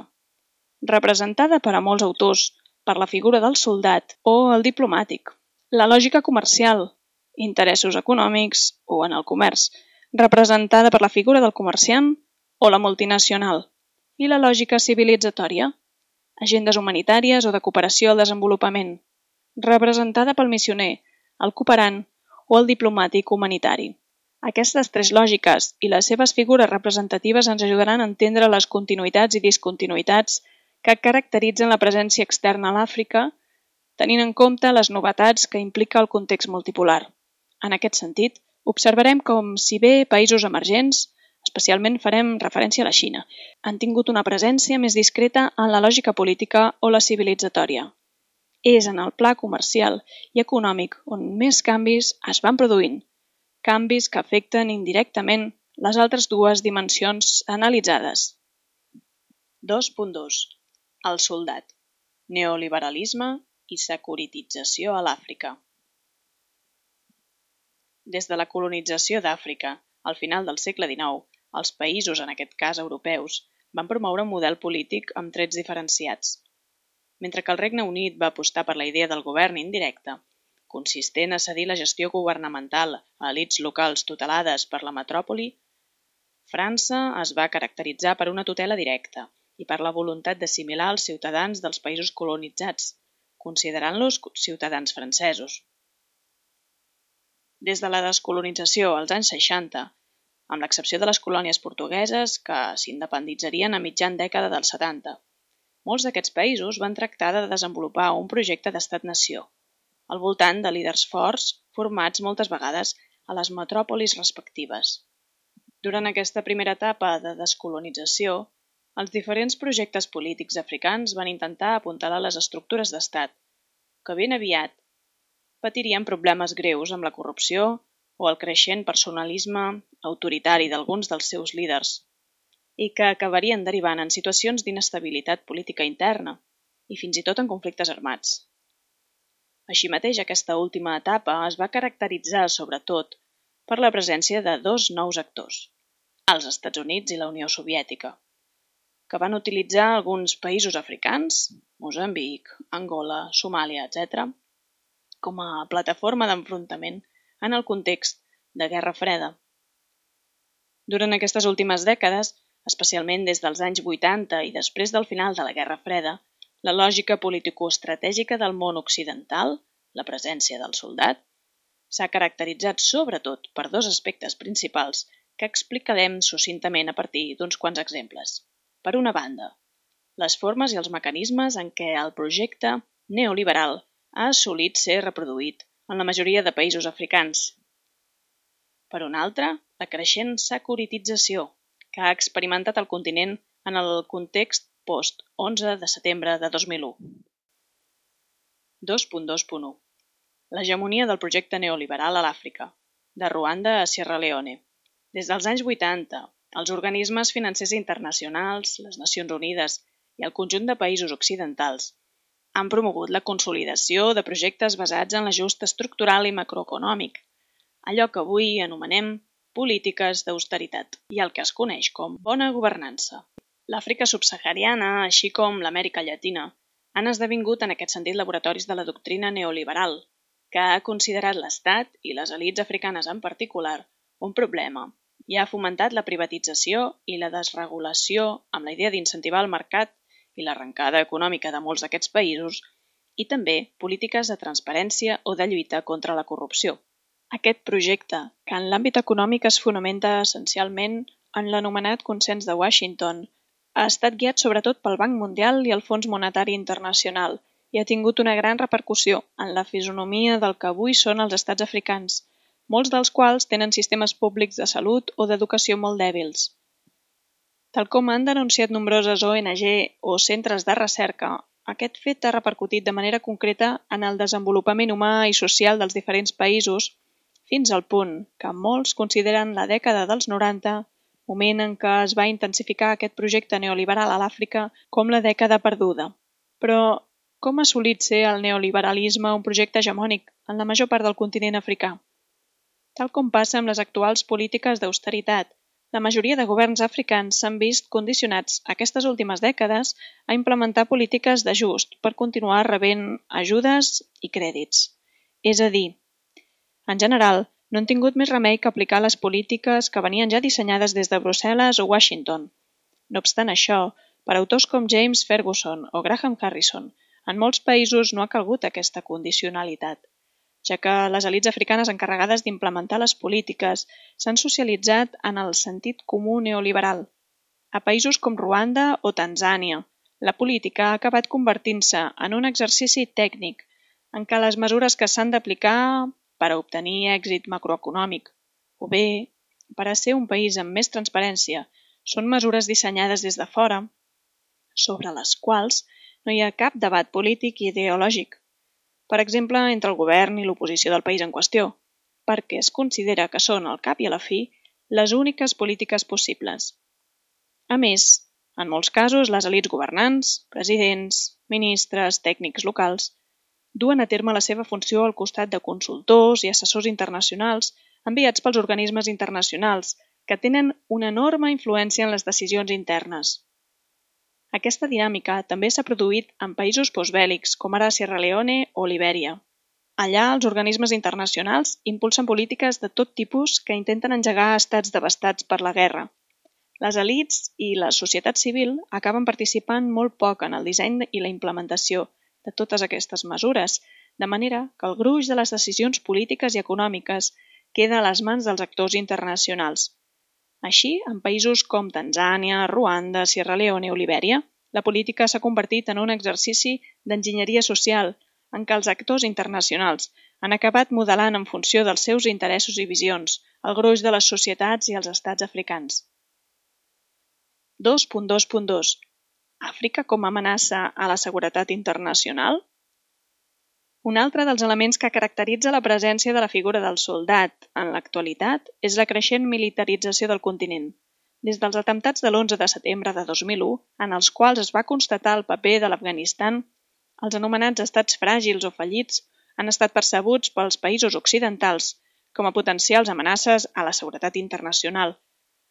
representada per a molts autors per la figura del soldat o el diplomàtic. La lògica comercial, interessos econòmics o en el comerç, representada per la figura del comerciant o la multinacional. I la lògica civilitzatòria, agendes humanitàries o de cooperació al desenvolupament, representada pel missioner, el cooperant o el diplomàtic humanitari. Aquestes tres lògiques i les seves figures representatives ens ajudaran a entendre les continuïtats i discontinuïtats que caracteritzen la presència externa a l'Àfrica, tenint en compte les novetats que implica el context multipolar. En aquest sentit, observarem com, si bé països emergents, especialment farem referència a la Xina, han tingut una presència més discreta en la lògica política o la civilitzatòria. És en el pla comercial i econòmic on més canvis es van produint, canvis que afecten indirectament les altres dues dimensions analitzades. dos punt dos. El soldat. Neoliberalisme i securitització a l'Àfrica. Des de la colonització d'Àfrica, al final del segle dinou, els països, en aquest cas europeus, van promoure un model polític amb trets diferenciats. Mentre que el Regne Unit va apostar per la idea del govern indirecte, consistent a cedir la gestió governamental a elits locals tutelades per la metròpoli, França es va caracteritzar per una tutela directa i per la voluntat d'assimilar els ciutadans dels països colonitzats, considerant-los ciutadans francesos. Des de la descolonització als anys seixanta, amb l'excepció de les colònies portugueses que s'independitzarien a mitjan dècada dels setanta. Molts d'aquests països van tractar de desenvolupar un projecte d'estat-nació, al voltant de líders forts formats moltes vegades a les metròpolis respectives. Durant aquesta primera etapa de descolonització, els diferents projectes polítics africans van intentar apuntalar les estructures d'estat, que ben aviat patirien problemes greus amb la corrupció o el creixent personalisme autoritari d'alguns dels seus líders, i que acabarien derivant en situacions d'inestabilitat política interna i fins i tot en conflictes armats. Així mateix, aquesta última etapa es va caracteritzar sobretot per la presència de dos nous actors, els Estats Units i la Unió Soviètica, que van utilitzar alguns països africans, Moçambic, Angola, Somàlia, etcètera, com a plataforma d'enfrontament en el context de Guerra Freda. Durant aquestes últimes dècades, especialment des dels anys vuitanta i després del final de la Guerra Freda, la lògica politicoestratègica del món occidental, la presència del soldat, s'ha caracteritzat sobretot per dos aspectes principals que explicarem succintament a partir d'uns quants exemples. Per una banda, les formes i els mecanismes en què el projecte neoliberal ha assolit ser reproduït en la majoria de països africans. Per una altra, la creixent securitització que ha experimentat el continent en el context post-onze de setembre de dos mil u. dos punt dos punt u. L'hegemonia del projecte neoliberal a l'Àfrica, de Ruanda a Sierra Leone. Des dels anys vuitanta, els organismes financers internacionals, les Nacions Unides i el conjunt de països occidentals han promogut la consolidació de projectes basats en l'ajust estructural i macroeconòmic, allò que avui anomenem polítiques d'austeritat i el que es coneix com bona governança. L'Àfrica subsahariana, així com l'Amèrica Llatina, han esdevingut en aquest sentit laboratoris de la doctrina neoliberal, que ha considerat l'Estat i les elits africanes en particular un problema i ha fomentat la privatització i la desregulació amb la idea d'incentivar el mercat i l'arrencada econòmica de molts d'aquests països i també polítiques de transparència o de lluita contra la corrupció. Aquest projecte, que en l'àmbit econòmic es fonamenta essencialment en l'anomenat consens de Washington, ha estat guiat sobretot pel Banc Mundial i el Fons Monetari Internacional i ha tingut una gran repercussió en la fisonomia del que avui són els estats africans, molts dels quals tenen sistemes públics de salut o d'educació molt dèbils. Tal com han denunciat nombroses O N G o centres de recerca, aquest fet ha repercutit de manera concreta en el desenvolupament humà i social dels diferents països, fins al punt que molts consideren la dècada dels noranta, moment en què es va intensificar aquest projecte neoliberal a l'Àfrica, com la dècada perduda. Però com ha assolit ser el neoliberalisme un projecte hegemònic en la major part del continent africà? Tal com passa amb les actuals polítiques d'austeritat, la majoria de governs africans s'han vist condicionats aquestes últimes dècades a implementar polítiques d'ajust per continuar rebent ajudes i crèdits. És a dir, en general, no han tingut més remei que aplicar les polítiques que venien ja dissenyades des de Brussel·les o Washington. No obstant això, per autors com James Ferguson o Graham Harrison, en molts països no ha calgut aquesta condicionalitat, ja que les elits africanes encarregades d'implementar les polítiques s'han socialitzat en el sentit comú neoliberal. A països com Ruanda o Tanzània, la política ha acabat convertint-se en un exercici tècnic en què les mesures que s'han d'aplicar per a obtenir èxit macroeconòmic o bé per a ser un país amb més transparència són mesures dissenyades des de fora sobre les quals no hi ha cap debat polític i ideològic, per exemple, entre el govern i l'oposició del país en qüestió, perquè es considera que són, al cap i a la fi, les úniques polítiques possibles. A més, en molts casos, les elits governants, presidents, ministres, tècnics locals, duen a terme la seva funció al costat de consultors i assessors internacionals enviats pels organismes internacionals que tenen una enorme influència en les decisions internes. Aquesta dinàmica també s'ha produït en països postbèl·lics, com ara Sierra Leone o Libèria. Allà, els organismes internacionals impulsen polítiques de tot tipus que intenten engegar estats devastats per la guerra. Les elits i la societat civil acaben participant molt poc en el disseny i la implementació de totes aquestes mesures, de manera que el gruix de les decisions polítiques i econòmiques queda a les mans dels actors internacionals. Així, en països com Tanzània, Ruanda, Sierra Leone o Libèria, la política s'ha convertit en un exercici d'enginyeria social en què els actors internacionals han acabat modelant en funció dels seus interessos i visions el gruix de les societats i els estats africans. dos punt dos punt dos. Àfrica com a amenaça a la seguretat internacional? Un altre dels elements que caracteritza la presència de la figura del soldat en l'actualitat és la creixent militarització del continent. Des dels atemptats de l'onze de setembre de dos mil u, en els quals es va constatar el paper de l'Afganistan, els anomenats estats fràgils o fallits han estat percebuts pels països occidentals com a potencials amenaces a la seguretat internacional.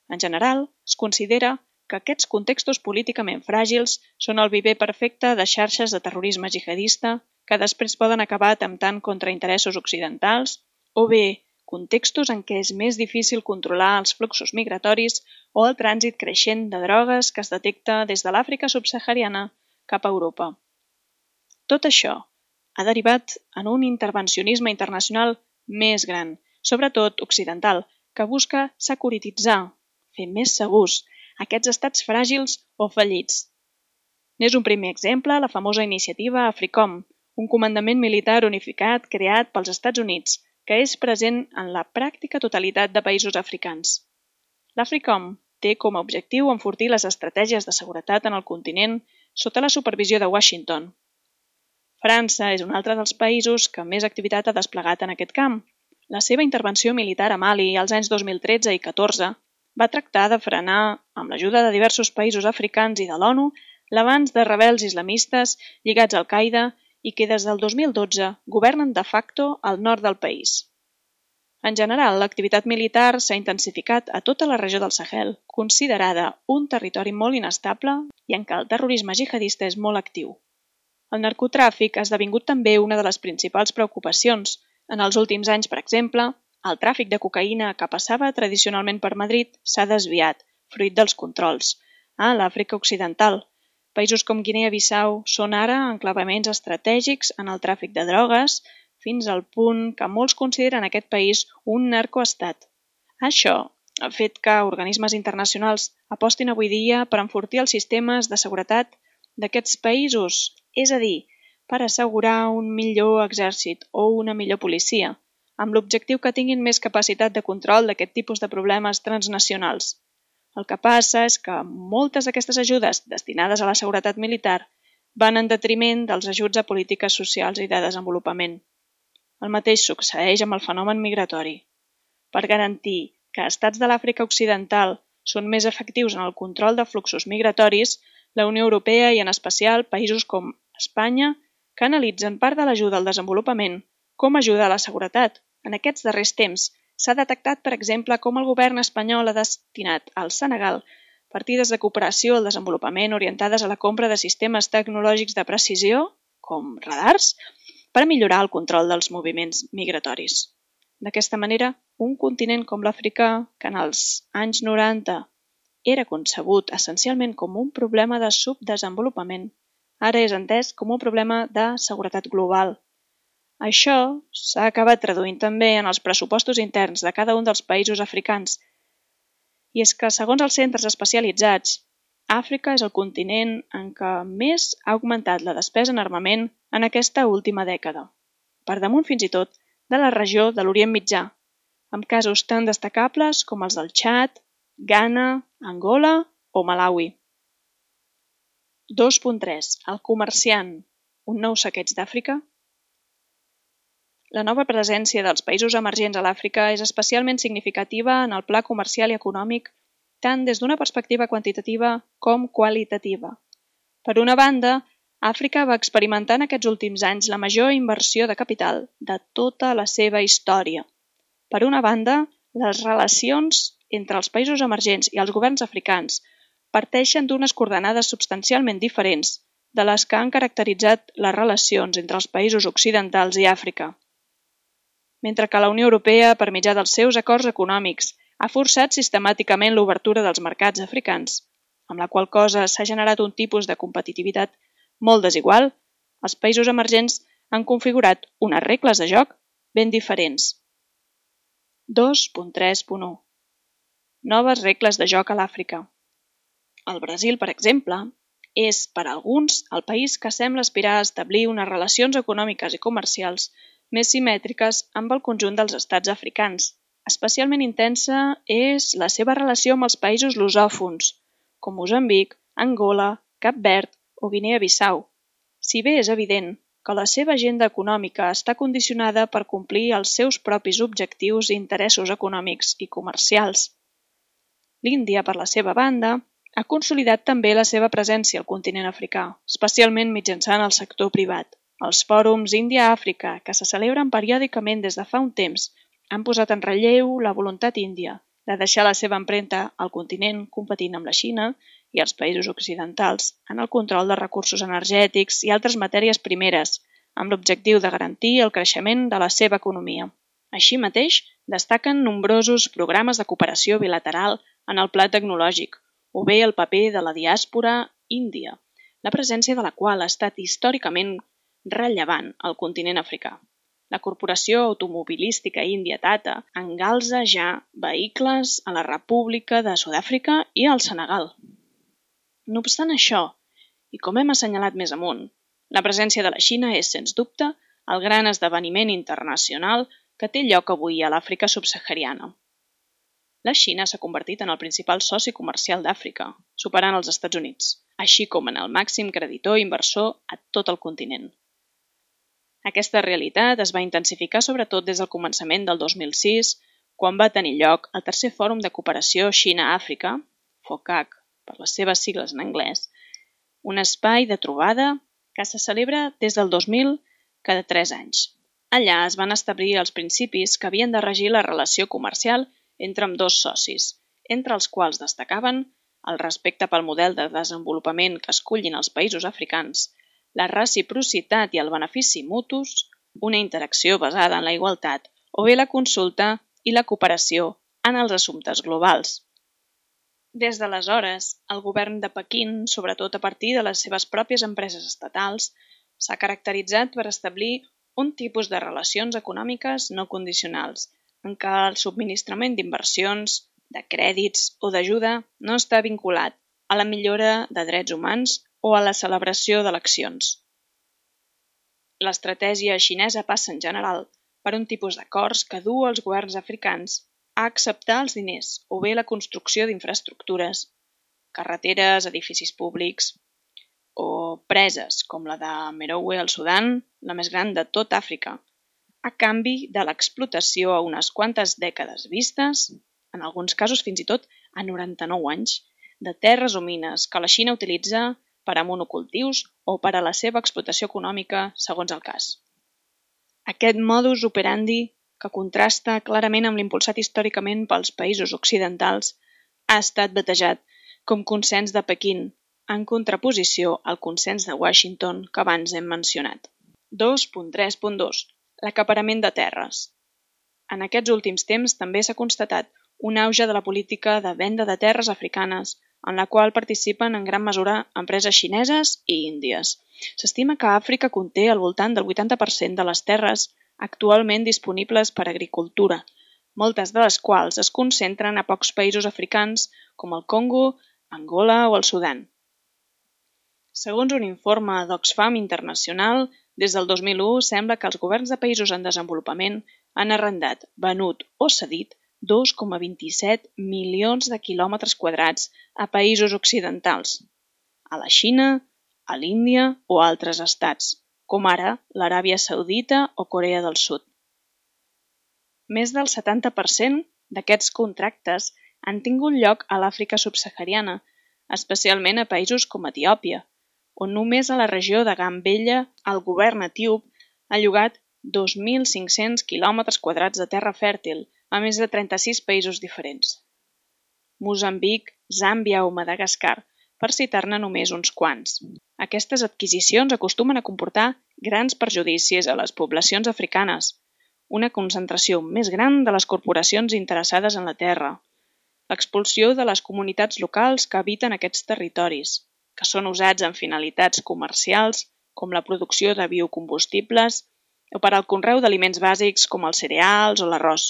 En general, es considera que aquests contextos políticament fràgils són el viver perfecte de xarxes de terrorisme jihadista que després poden acabar atemptant contra interessos occidentals, o bé contextos en què és més difícil controlar els fluxos migratoris o el trànsit creixent de drogues que es detecta des de l'Àfrica subsahariana cap a Europa. Tot això ha derivat en un intervencionisme internacional més gran, sobretot occidental, que busca securititzar, fer més segurs aquests estats fràgils o fallits. N'és un primer exemple la famosa iniciativa AFRICOM, un comandament militar unificat creat pels Estats Units, que és present en la pràctica totalitat de països africans. L'AFRICOM té com a objectiu enfortir les estratègies de seguretat en el continent sota la supervisió de Washington. França és un altre dels països que més activitat ha desplegat en aquest camp. La seva intervenció militar a Mali als anys dos mil tretze i catorze va tractar de frenar, amb l'ajuda de diversos països africans i de l'ONU, l'avanç de rebels islamistes lligats al Al-Qaeda i que des del dos mil dotze governen de facto al nord del país. En general, l'activitat militar s'ha intensificat a tota la regió del Sahel, considerada un territori molt inestable i en què el terrorisme jihadista és molt actiu. El narcotràfic ha esdevingut també una de les principals preocupacions. En els últims anys, per exemple, el tràfic de cocaïna que passava tradicionalment per Madrid s'ha desviat, fruit dels controls, a l'Àfrica Occidental. Països com Guinea-Bissau són ara enclavaments estratègics en el tràfic de drogues, fins al punt que molts consideren aquest país un narcoestat. Això ha fet que organismes internacionals apostin avui dia per enfortir els sistemes de seguretat d'aquests països, és a dir, per assegurar un millor exèrcit o una millor policia, amb l'objectiu que tinguin més capacitat de control d'aquest tipus de problemes transnacionals. El que passa és que moltes d'aquestes ajudes destinades a la seguretat militar van en detriment dels ajuts a polítiques socials i de desenvolupament. El mateix succeeix amb el fenomen migratori. Per garantir que estats de l'Àfrica Occidental són més efectius en el control de fluxos migratoris, la Unió Europea i en especial països com Espanya canalitzen part de l'ajuda al desenvolupament com a ajuda a la seguretat. En aquests darrers temps s'ha detectat, per exemple, com el govern espanyol ha destinat al Senegal partides de cooperació al desenvolupament orientades a la compra de sistemes tecnològics de precisió, com radars, per millorar el control dels moviments migratoris. D'aquesta manera, un continent com l'Àfrica, que en els anys noranta era concebut essencialment com un problema de subdesenvolupament, ara és entès com un problema de seguretat global. Això s'ha acabat traduint també en els pressupostos interns de cada un dels països africans. I és que, segons els centres especialitzats, Àfrica és el continent en què més ha augmentat la despesa en armament en aquesta última dècada, per damunt fins i tot de la regió de l'Orient Mitjà, amb casos tan destacables com els del Txad, Ghana, Angola o Malawi. dos punt tres. El comerciant. Un nou saqueig d'Àfrica? La nova presència dels països emergents a l'Àfrica és especialment significativa en el pla comercial i econòmic tant des d'una perspectiva quantitativa com qualitativa. Per una banda, Àfrica va experimentar en aquests últims anys la major inversió de capital de tota la seva història. Per una banda, les relacions entre els països emergents i els governs africans parteixen d'unes coordenades substancialment diferents de les que han caracteritzat les relacions entre els països occidentals i Àfrica. Mentre que la Unió Europea, per mitjà dels seus acords econòmics, ha forçat sistemàticament l'obertura dels mercats africans, amb la qual cosa s'ha generat un tipus de competitivitat molt desigual, els països emergents han configurat unes regles de joc ben diferents. dos punt tres punt u. noves regles de joc a l'Àfrica. El Brasil, per exemple, és, per a alguns, el país que sembla aspirar a establir unes relacions econòmiques i comercials més simètriques amb el conjunt dels estats africans. Especialment intensa és la seva relació amb els països lusòfons, com Moçambic, Angola, Cap Verd o Guinea-Bissau. Si bé és evident que la seva agenda econòmica està condicionada per complir els seus propis objectius i interessos econòmics i comercials. L'Índia, per la seva banda, ha consolidat també la seva presència al continent africà, especialment mitjançant el sector privat. Els fòrums Índia-Àfrica, que se celebren periòdicament des de fa un temps, han posat en relleu la voluntat índia de deixar la seva empremta al continent competint amb la Xina i els països occidentals en el control de recursos energètics i altres matèries primeres, amb l'objectiu de garantir el creixement de la seva economia. Així mateix, destaquen nombrosos programes de cooperació bilateral en el pla tecnològic, o bé el paper de la diàspora índia, la presència de la qual ha estat històricament rellevant al continent africà. La corporació automobilística índia Tata engalza ja vehicles a la República de Sud-àfrica i al Senegal. No obstant això, i com hem assenyalat més amunt, la presència de la Xina és, sens dubte, el gran esdeveniment internacional que té lloc avui a l'Àfrica subsahariana. La Xina s'ha convertit en el principal soci comercial d'Àfrica, superant els Estats Units, així com en el màxim creditor i inversor a tot el continent. Aquesta realitat es va intensificar sobretot des del començament del dos mil sis, quan va tenir lloc el tercer Fòrum de Cooperació Xina-Àfrica, FOCAC, per les seves sigles en anglès, un espai de trobada que se celebra des del dos mil cada tres anys. Allà es van establir els principis que havien de regir la relació comercial entre ambdós socis, entre els quals destacaven el respecte pel model de desenvolupament que escollin els països africans, la reciprocitat i el benefici mutus, una interacció basada en la igualtat o bé la consulta i la cooperació en els assumptes globals. Des d'aleshores, el govern de Pequín, sobretot a partir de les seves pròpies empreses estatals, s'ha caracteritzat per establir un tipus de relacions econòmiques no condicionals, en què el subministrament d'inversions, de crèdits o d'ajuda no està vinculat a la millora de drets humans o a la celebració d'eleccions. L'estratègia xinesa passa en general per un tipus d'acords que du els governs africans a acceptar els diners o bé la construcció d'infraestructures, carreteres, edificis públics o preses com la de Merowe al Sudan, la més gran de tot Àfrica, a canvi de l'explotació a unes quantes dècades vistes, en alguns casos fins i tot a noranta-nou anys, de terres o mines que la Xina utilitza per a monocultius o per a la seva explotació econòmica, segons el cas. Aquest modus operandi, que contrasta clarament amb l'impulsat històricament pels països occidentals, ha estat batejat com consens de Pequín, en contraposició al consens de Washington que abans hem mencionat. dos punt tres punt dos. L'acaparament de terres. En aquests últims temps també s'ha constatat un auge de la política de venda de terres africanes, en la qual participen en gran mesura empreses xineses i índies. S'estima que Àfrica conté al voltant del vuitanta per cent de les terres actualment disponibles per a agricultura, moltes de les quals es concentren a pocs països africans com el Congo, Angola o el Sudan. Segons un informe d'Oxfam Internacional, des del dos mil u sembla que els governs de països en desenvolupament han arrendat, venut o cedit dos coma vint-i-set milions de quilòmetres quadrats a països occidentals, a la Xina, a l'Índia o a altres estats, com ara l'Aràbia Saudita o Corea del Sud. Més del setanta per cent d'aquests contractes han tingut lloc a l'Àfrica subsahariana, especialment a països com Etiòpia, on només a la regió de Gambella el govern etíop ha llogat dos mil cinc-cents quilòmetres quadrats de terra fèrtil a més de trenta-sis països diferents. Moçambic, Zàmbia o Madagascar, per citar-ne només uns quants. Aquestes adquisicions acostumen a comportar grans perjudicis a les poblacions africanes, una concentració més gran de les corporacions interessades en la terra, l'expulsió de les comunitats locals que habiten aquests territoris, que són usats en finalitats comercials com la producció de biocombustibles o per al conreu d'aliments bàsics com els cereals o l'arròs,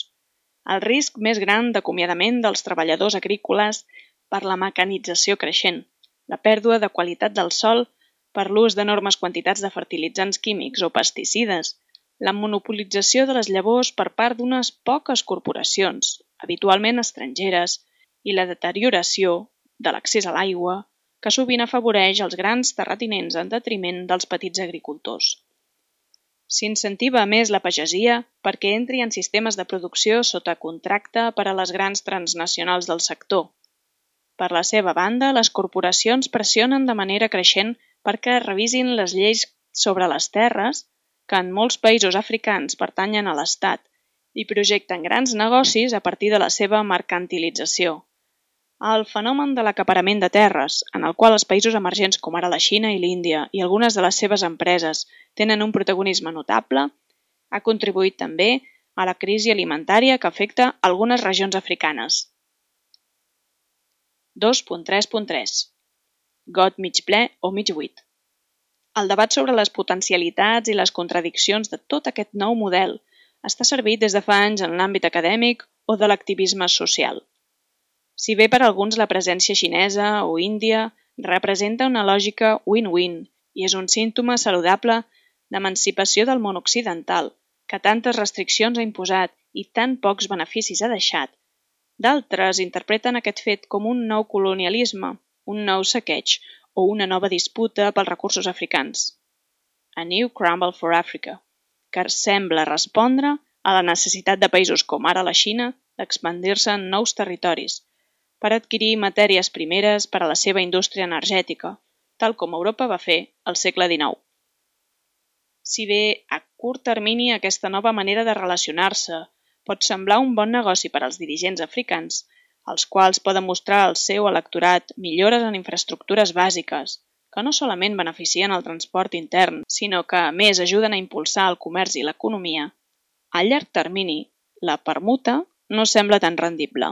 El risc més gran d'acomiadament dels treballadors agrícoles per la mecanització creixent, la pèrdua de qualitat del sòl per l'ús d'enormes quantitats de fertilitzants químics o pesticides, la monopolització de les llavors per part d'unes poques corporacions, habitualment estrangeres, i la deterioració de l'accés a l'aigua, que sovint afavoreix els grans terratinents en detriment dels petits agricultors. S'incentiva més la pagesia perquè entri en sistemes de producció sota contracte per a les grans transnacionals del sector. Per la seva banda, les corporacions pressionen de manera creixent perquè revisin les lleis sobre les terres, que en molts països africans pertanyen a l'Estat, i projecten grans negocis a partir de la seva mercantilització. El fenomen de l'acaparament de terres, en el qual els països emergents com ara la Xina i l'Índia i algunes de les seves empreses tenen un protagonisme notable, ha contribuït també a la crisi alimentària que afecta algunes regions africanes. dos punt tres punt tres. Got mig ple o mig buit. El debat sobre les potencialitats i les contradiccions de tot aquest nou model està servit des de fa anys en l'àmbit acadèmic o de l'activisme social. Si bé per alguns la presència xinesa o índia representa una lògica win-win i és un símptoma saludable d'emancipació del món occidental, que tantes restriccions ha imposat i tan pocs beneficis ha deixat, d'altres interpreten aquest fet com un nou colonialisme, un nou saqueig o una nova disputa pels recursos africans. A New Crumble for Africa, que sembla respondre a la necessitat de països com ara la Xina d'expandir-se en nous territoris, per adquirir matèries primeres per a la seva indústria energètica, tal com Europa va fer al segle dinou. Si bé a curt termini aquesta nova manera de relacionar-se pot semblar un bon negoci per als dirigents africans, els quals poden mostrar al seu electorat millores en infraestructures bàsiques, que no solament beneficien el transport intern, sinó que a més ajuden a impulsar el comerç i l'economia, a llarg termini la permuta no sembla tan rendible.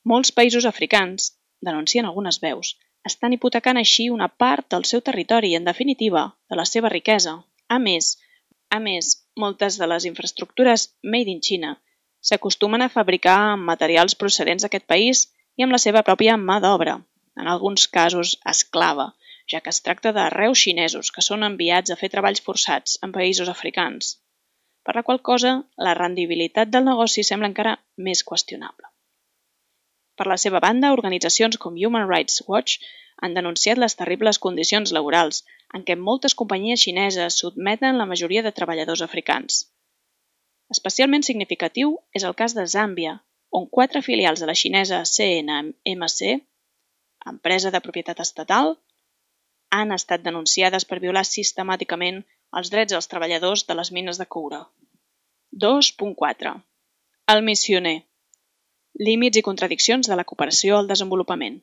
Molts països africans, denuncien algunes veus, estan hipotecant així una part del seu territori i, en definitiva, de la seva riquesa. A més, a més, moltes de les infraestructures made in China s'acostumen a fabricar amb materials procedents d'aquest país i amb la seva pròpia mà d'obra, en alguns casos esclava, ja que es tracta de reus xinesos que són enviats a fer treballs forçats en països africans, per la qual cosa la rendibilitat del negoci sembla encara més qüestionable. Per la seva banda, organitzacions com Human Rights Watch han denunciat les terribles condicions laborals en què moltes companyies xineses sotmeten la majoria de treballadors africans. Especialment significatiu és el cas de Zàmbia, on quatre filials de la xinesa C N M C, empresa de propietat estatal, han estat denunciades per violar sistemàticament els drets dels treballadors de les mines de coure. dos punt quatre. El missioner. Límits i contradiccions de la cooperació al desenvolupament.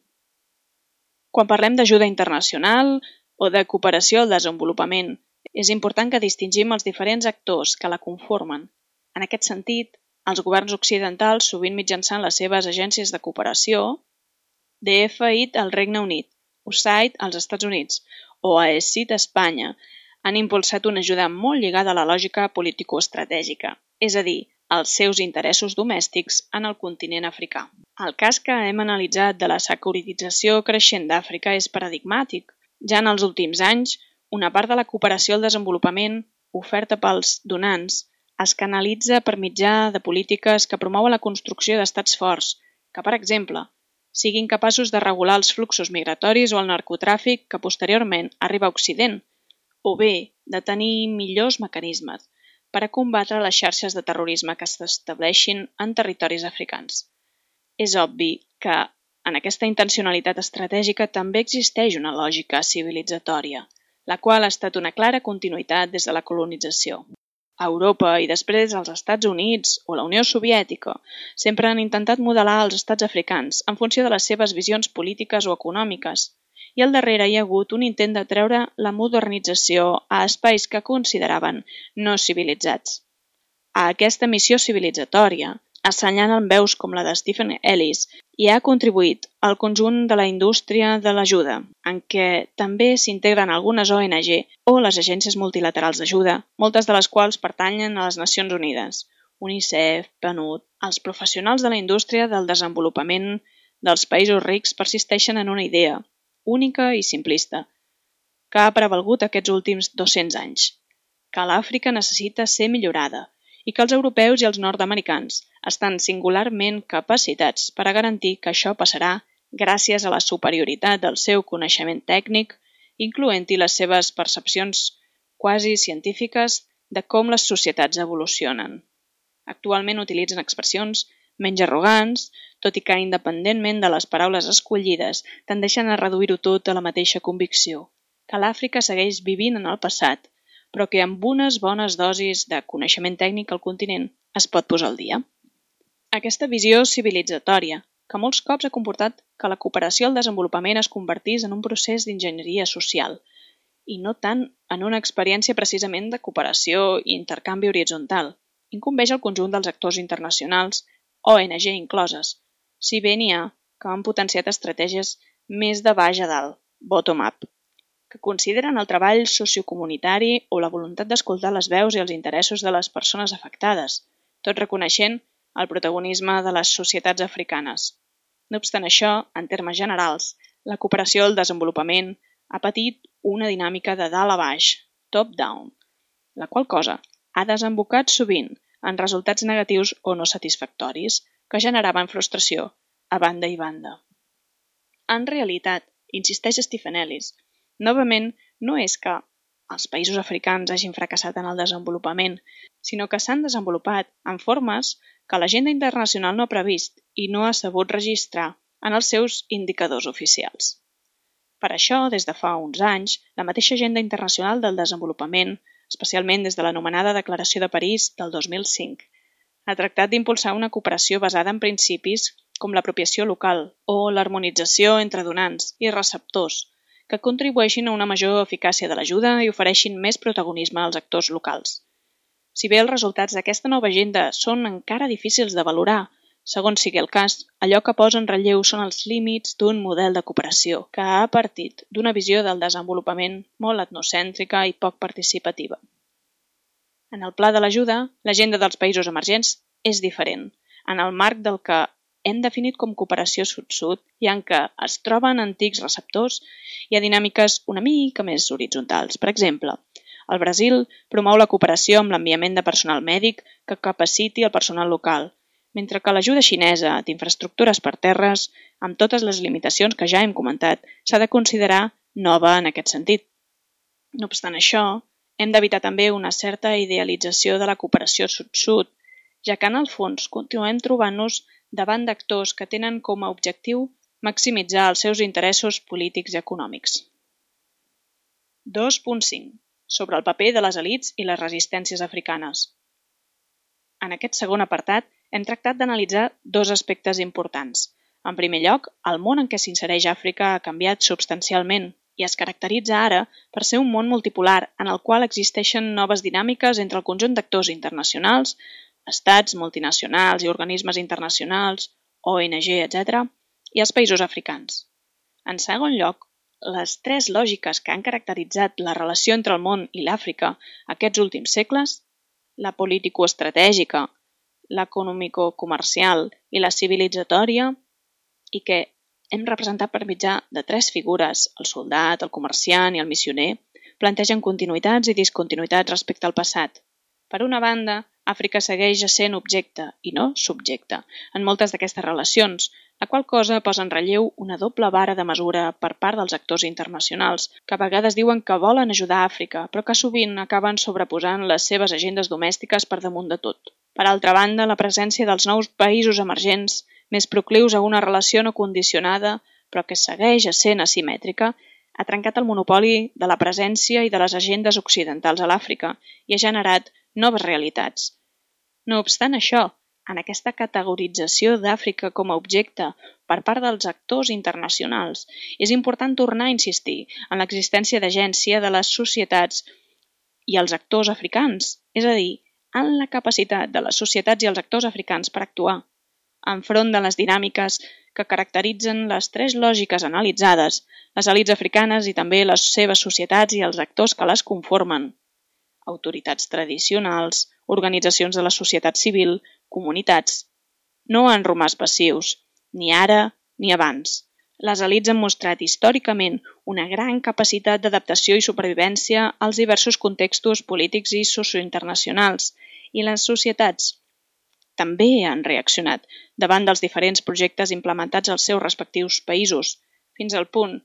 Quan parlem d'ajuda internacional o de cooperació al desenvolupament, és important que distingim els diferents actors que la conformen. En aquest sentit, els governs occidentals, sovint mitjançant les seves agències de cooperació, D F I D al Regne Unit, U S A I D als Estats Units o A E C I D a Espanya, han impulsat una ajuda molt lligada a la lògica político-estratègica, és a dir, als seus interessos domèstics en el continent africà. El cas que hem analitzat de la securitització creixent d'Àfrica és paradigmàtic. Ja en els últims anys, una part de la cooperació al desenvolupament, oferta pels donants, es canalitza per mitjà de polítiques que promouen la construcció d'estats forts, que, per exemple, siguin capaços de regular els fluxos migratoris o el narcotràfic que posteriorment arriba a Occident, o bé de tenir millors mecanismes per a combatre les xarxes de terrorisme que s'estableixin en territoris africans. És obvi que en aquesta intencionalitat estratègica també existeix una lògica civilitzatòria, la qual ha estat una clara continuïtat des de la colonització. A Europa i després als Estats Units o la Unió Soviètica sempre han intentat modelar els estats africans en funció de les seves visions polítiques o econòmiques, i al darrere hi ha hagut un intent de treure la modernització a espais que consideraven no civilitzats. A aquesta missió civilitzatòria assenyalen veus com la de Stephen Ellis i ha contribuït al conjunt de la indústria de l'ajuda, en què també s'integren algunes O N G o les agències multilaterals d'ajuda, moltes de les quals pertanyen a les Nacions Unides, UNICEF, PNUD, els professionals de la indústria del desenvolupament dels països rics persisteixen en una idea, única i simplista, que ha prevalgut aquests últims dos-cents anys, que l'Àfrica necessita ser millorada i que els europeus i els nord-americans estan singularment capacitats per a garantir que això passarà gràcies a la superioritat del seu coneixement tècnic, incloent-hi les seves percepcions quasi científiques de com les societats evolucionen. Actualment utilitzen expressions menys arrogants, tot i que independentment de les paraules escollides tendeixen a reduir-ho tot a la mateixa convicció, que l'Àfrica segueix vivint en el passat, però que amb unes bones dosis de coneixement tècnic al continent es pot posar al dia. Aquesta visió civilitzatòria, que molts cops ha comportat que la cooperació al desenvolupament es convertís en un procés d'enginyeria social, i no tant en una experiència precisament de cooperació i intercanvi horitzontal, incumbeix al conjunt dels actors internacionals, O N G incloses, si bé n'hi ha que han potenciat estratègies més de baix a dalt, bottom-up, que consideren el treball sociocomunitari o la voluntat d'escoltar les veus i els interessos de les persones afectades, tot reconeixent el protagonisme de les societats africanes. No obstant això, en termes generals, la cooperació al desenvolupament ha patit una dinàmica de dalt a baix, top-down, la qual cosa ha desembocat sovint en resultats negatius o no satisfactoris que generaven frustració a banda i banda. En realitat, insisteix Stephen Ellis, novament no és que els països africans hagin fracassat en el desenvolupament, sinó que s'han desenvolupat en formes que l'agenda internacional no ha previst i no ha sabut registrar en els seus indicadors oficials. Per això, des de fa uns anys, la mateixa agenda internacional del desenvolupament, especialment des de l'anomenada Declaració de París del dos mil cinc, ha tractat d'impulsar una cooperació basada en principis com l'apropiació local o l'harmonització entre donants i receptors, que contribueixin a una major eficàcia de l'ajuda i ofereixin més protagonisme als actors locals. Si bé els resultats d'aquesta nova agenda són encara difícils de valorar, segons sigui el cas, allò que posa en relleu són els límits d'un model de cooperació que ha partit d'una visió del desenvolupament molt etnocèntrica i poc participativa. En el pla de l'ajuda, l'agenda dels països emergents és diferent, en el marc del que hem definit com cooperació sud-sud i en què es troben antics receptors i ha dinàmiques una mica més horitzontals. Per exemple, el Brasil promou la cooperació amb l'enviament de personal mèdic que capaciti el personal local, mentre que l'ajuda xinesa d'infraestructures per terres, amb totes les limitacions que ja hem comentat, s'ha de considerar nova en aquest sentit. No obstant això, hem d'evitar també una certa idealització de la cooperació sud-sud, ja que en el fons continuem trobant-nos davant d'actors que tenen com a objectiu maximitzar els seus interessos polítics i econòmics. dos punt cinc. Sobre el paper de les elits i les resistències africanes. En aquest segon apartat hem tractat d'analitzar dos aspectes importants. En primer lloc, el món en què s'insereix Àfrica ha canviat substancialment i es caracteritza ara per ser un món multipolar en el qual existeixen noves dinàmiques entre el conjunt d'actors internacionals, estats, multinacionals i organismes internacionals, O N G, etcètera, i els països africans. En segon lloc, les tres lògiques que han caracteritzat la relació entre el món i l'Àfrica aquests últims segles, la político-estratègica, l'econòmico-comercial i la civilitzatòria, i que hem representat per mitjà de tres figures, el soldat, el comerciant i el missioner, plantegen continuïtats i discontinuïtats respecte al passat. Per una banda, Àfrica segueix essent objecte i no subjecte en moltes d'aquestes relacions, la qual cosa posa en relleu una doble vara de mesura per part dels actors internacionals, que a vegades diuen que volen ajudar Àfrica, però que sovint acaben sobreposant les seves agendes domèstiques per damunt de tot. Per altra banda, la presència dels nous països emergents, més proclius a una relació no condicionada, però que segueix essent asimètrica, ha trencat el monopoli de la presència i de les agendes occidentals a l'Àfrica i ha generat noves realitats. No obstant això, en aquesta categorització d'Àfrica com a objecte per part dels actors internacionals, és important tornar a insistir en l'existència d'agència de les societats i els actors africans, és a dir, en la capacitat de les societats i els actors africans per actuar, enfront de les dinàmiques que caracteritzen les tres lògiques analitzades, les elits africanes i també les seves societats i els actors que les conformen, autoritats tradicionals, organitzacions de la societat civil, comunitats. No han romàs passius, ni ara ni abans. Les elits han mostrat històricament una gran capacitat d'adaptació i supervivència als diversos contextos polítics i sociointernacionals, i les societats també han reaccionat davant dels diferents projectes implementats als seus respectius països, fins al punt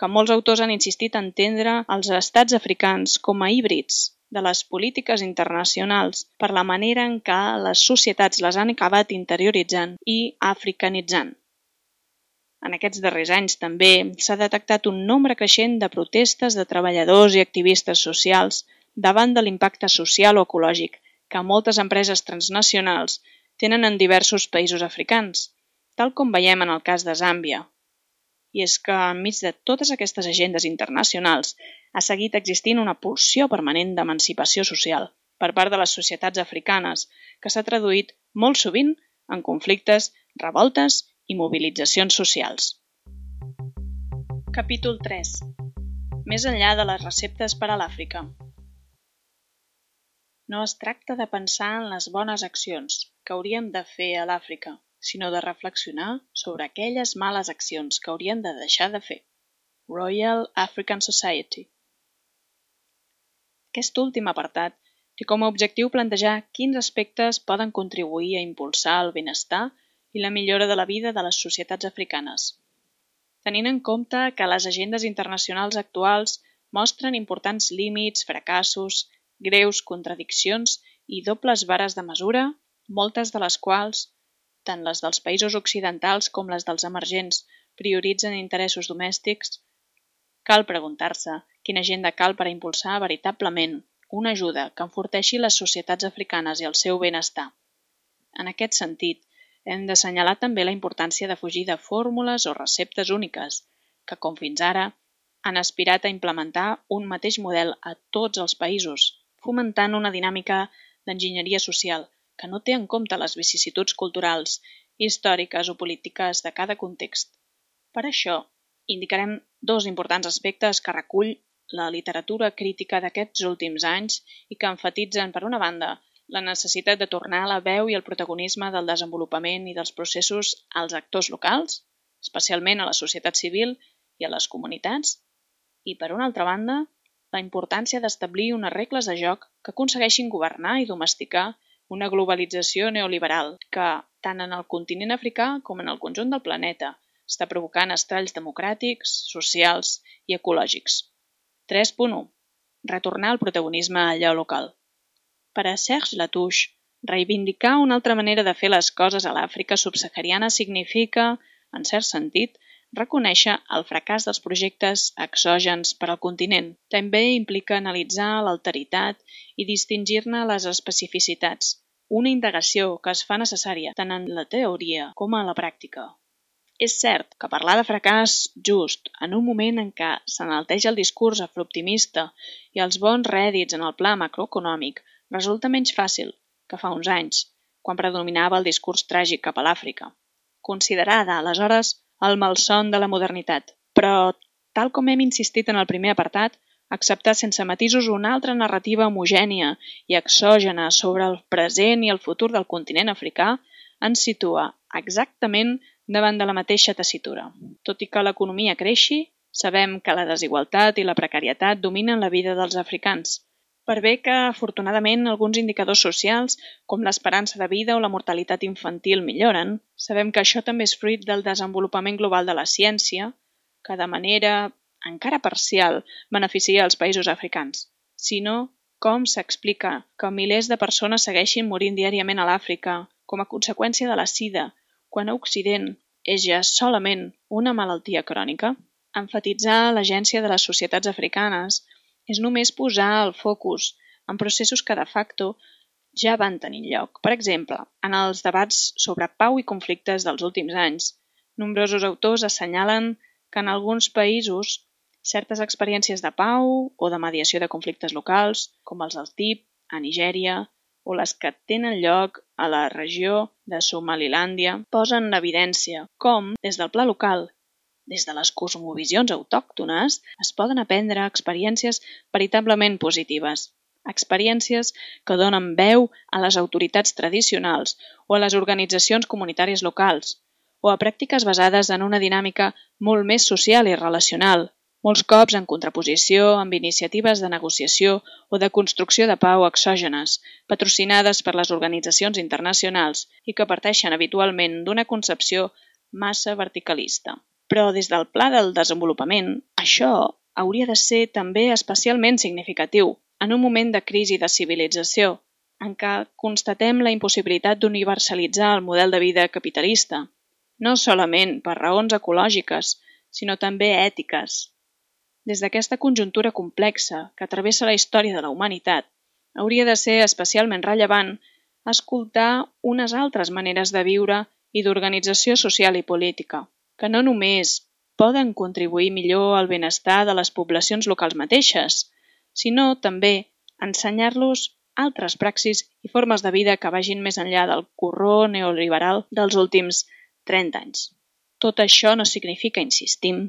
que molts autors han insistit a entendre els estats africans com a híbrids de les polítiques internacionals per la manera en què les societats les han acabat interioritzant i africanitzant. En aquests darrers anys també s'ha detectat un nombre creixent de protestes de treballadors i activistes socials davant de l'impacte social o ecològic que moltes empreses transnacionals tenen en diversos països africans, tal com veiem en el cas de Zàmbia. I és que, enmig de totes aquestes agendes internacionals, ha seguit existint una pulsió permanent d'emancipació social per part de les societats africanes que s'ha traduït molt sovint en conflictes, revoltes i mobilitzacions socials. Capítol tres. Més enllà de les receptes per a l'Àfrica. No es tracta de pensar en les bones accions que hauríem de fer a l'Àfrica, sinó de reflexionar sobre aquelles males accions que hauríem de deixar de fer. Royal African Society. Aquest últim apartat té com a objectiu plantejar quins aspectes poden contribuir a impulsar el benestar i la millora de la vida de les societats africanes. Tenint en compte que les agendes internacionals actuals mostren importants límits, fracassos, greus contradiccions i dobles vares de mesura, moltes de les quals, tant les dels països occidentals com les dels emergents, prioritzen interessos domèstics, cal preguntar-se quina agenda cal per a impulsar veritablement una ajuda que enforteixi les societats africanes i el seu benestar. En aquest sentit, hem d'assenyalar també la importància de fugir de fórmules o receptes úniques, que, com fins ara, han aspirat a implementar un mateix model a tots els països, fomentant una dinàmica d'enginyeria social que no té en compte les vicissituds culturals, històriques o polítiques de cada context. Per això, indicarem dos importants aspectes que recull la literatura crítica d'aquests últims anys i que enfatitzen, per una banda, la necessitat de tornar la veu i el protagonisme del desenvolupament i dels processos als actors locals, especialment a la societat civil i a les comunitats, i, per una altra banda, la importància d'establir unes regles de joc que aconsegueixin governar i domesticar una globalització neoliberal que, tant en el continent africà com en el conjunt del planeta, està provocant estralls democràtics, socials i ecològics. tres punt u. Retornar el protagonisme a allò local. Per a Serge Latouche, reivindicar una altra manera de fer les coses a l'Àfrica subsahariana significa, en cert sentit, reconèixer el fracàs dels projectes exògens per al continent. També implica analitzar l'alteritat i distingir-ne les especificitats, una indagació que es fa necessària tant en la teoria com a la pràctica. És cert que parlar de fracàs just en un moment en què s'enalteja el discurs afrooptimista i els bons rèdits en el pla macroeconòmic resulta menys fàcil que fa uns anys, quan predominava el discurs tràgic cap a l'Àfrica, considerada, aleshores, el malson de la modernitat. Però, tal com hem insistit en el primer apartat, acceptar sense matisos una altra narrativa homogènia i exògena sobre el present i el futur del continent africà ens situa exactament davant de la mateixa tessitura. Tot i que l'economia creixi, sabem que la desigualtat i la precarietat dominen la vida dels africans. Per bé que, afortunadament, alguns indicadors socials, com l'esperança de vida o la mortalitat infantil, milloren, sabem que això també és fruit del desenvolupament global de la ciència, que de manera encara parcial beneficia els països africans, sinó com s'explica que milers de persones segueixin morint diàriament a l'Àfrica com a conseqüència de la sida, quan a Occident és ja solament una malaltia crònica. Emfatitzar l'agència de les societats africanes és només posar el focus en processos que de facto ja van tenir lloc. Per exemple, en els debats sobre pau i conflictes dels últims anys, nombrosos autors assenyalen que en alguns països certes experiències de pau o de mediació de conflictes locals, com els del T I P, a Nigèria, o les que tenen lloc a la regió de Somalilàndia, posen en evidència com, des del pla local, des de les cosmovisions autòctones, es poden aprendre experiències veritablement positives. experiències que donen veu a les autoritats tradicionals o a les organitzacions comunitàries locals, o a pràctiques basades en una dinàmica molt més social i relacional, molts cops en contraposició amb iniciatives de negociació o de construcció de pau exògenes, patrocinades per les organitzacions internacionals i que parteixen habitualment d'una concepció massa verticalista. Però des del pla del desenvolupament, això hauria de ser també especialment significatiu en un moment de crisi de civilització, en què constatem la impossibilitat d'universalitzar el model de vida capitalista, no solament per raons ecològiques, sinó també ètiques. Des d'aquesta conjuntura complexa que travessa la història de la humanitat, hauria de ser especialment rellevant escoltar unes altres maneres de viure i d'organització social i política, que no només poden contribuir millor al benestar de les poblacions locals mateixes, sinó també ensenyar-los altres praxis i formes de vida que vagin més enllà del corró neoliberal dels últims trenta anys. Tot això no significa, insistim,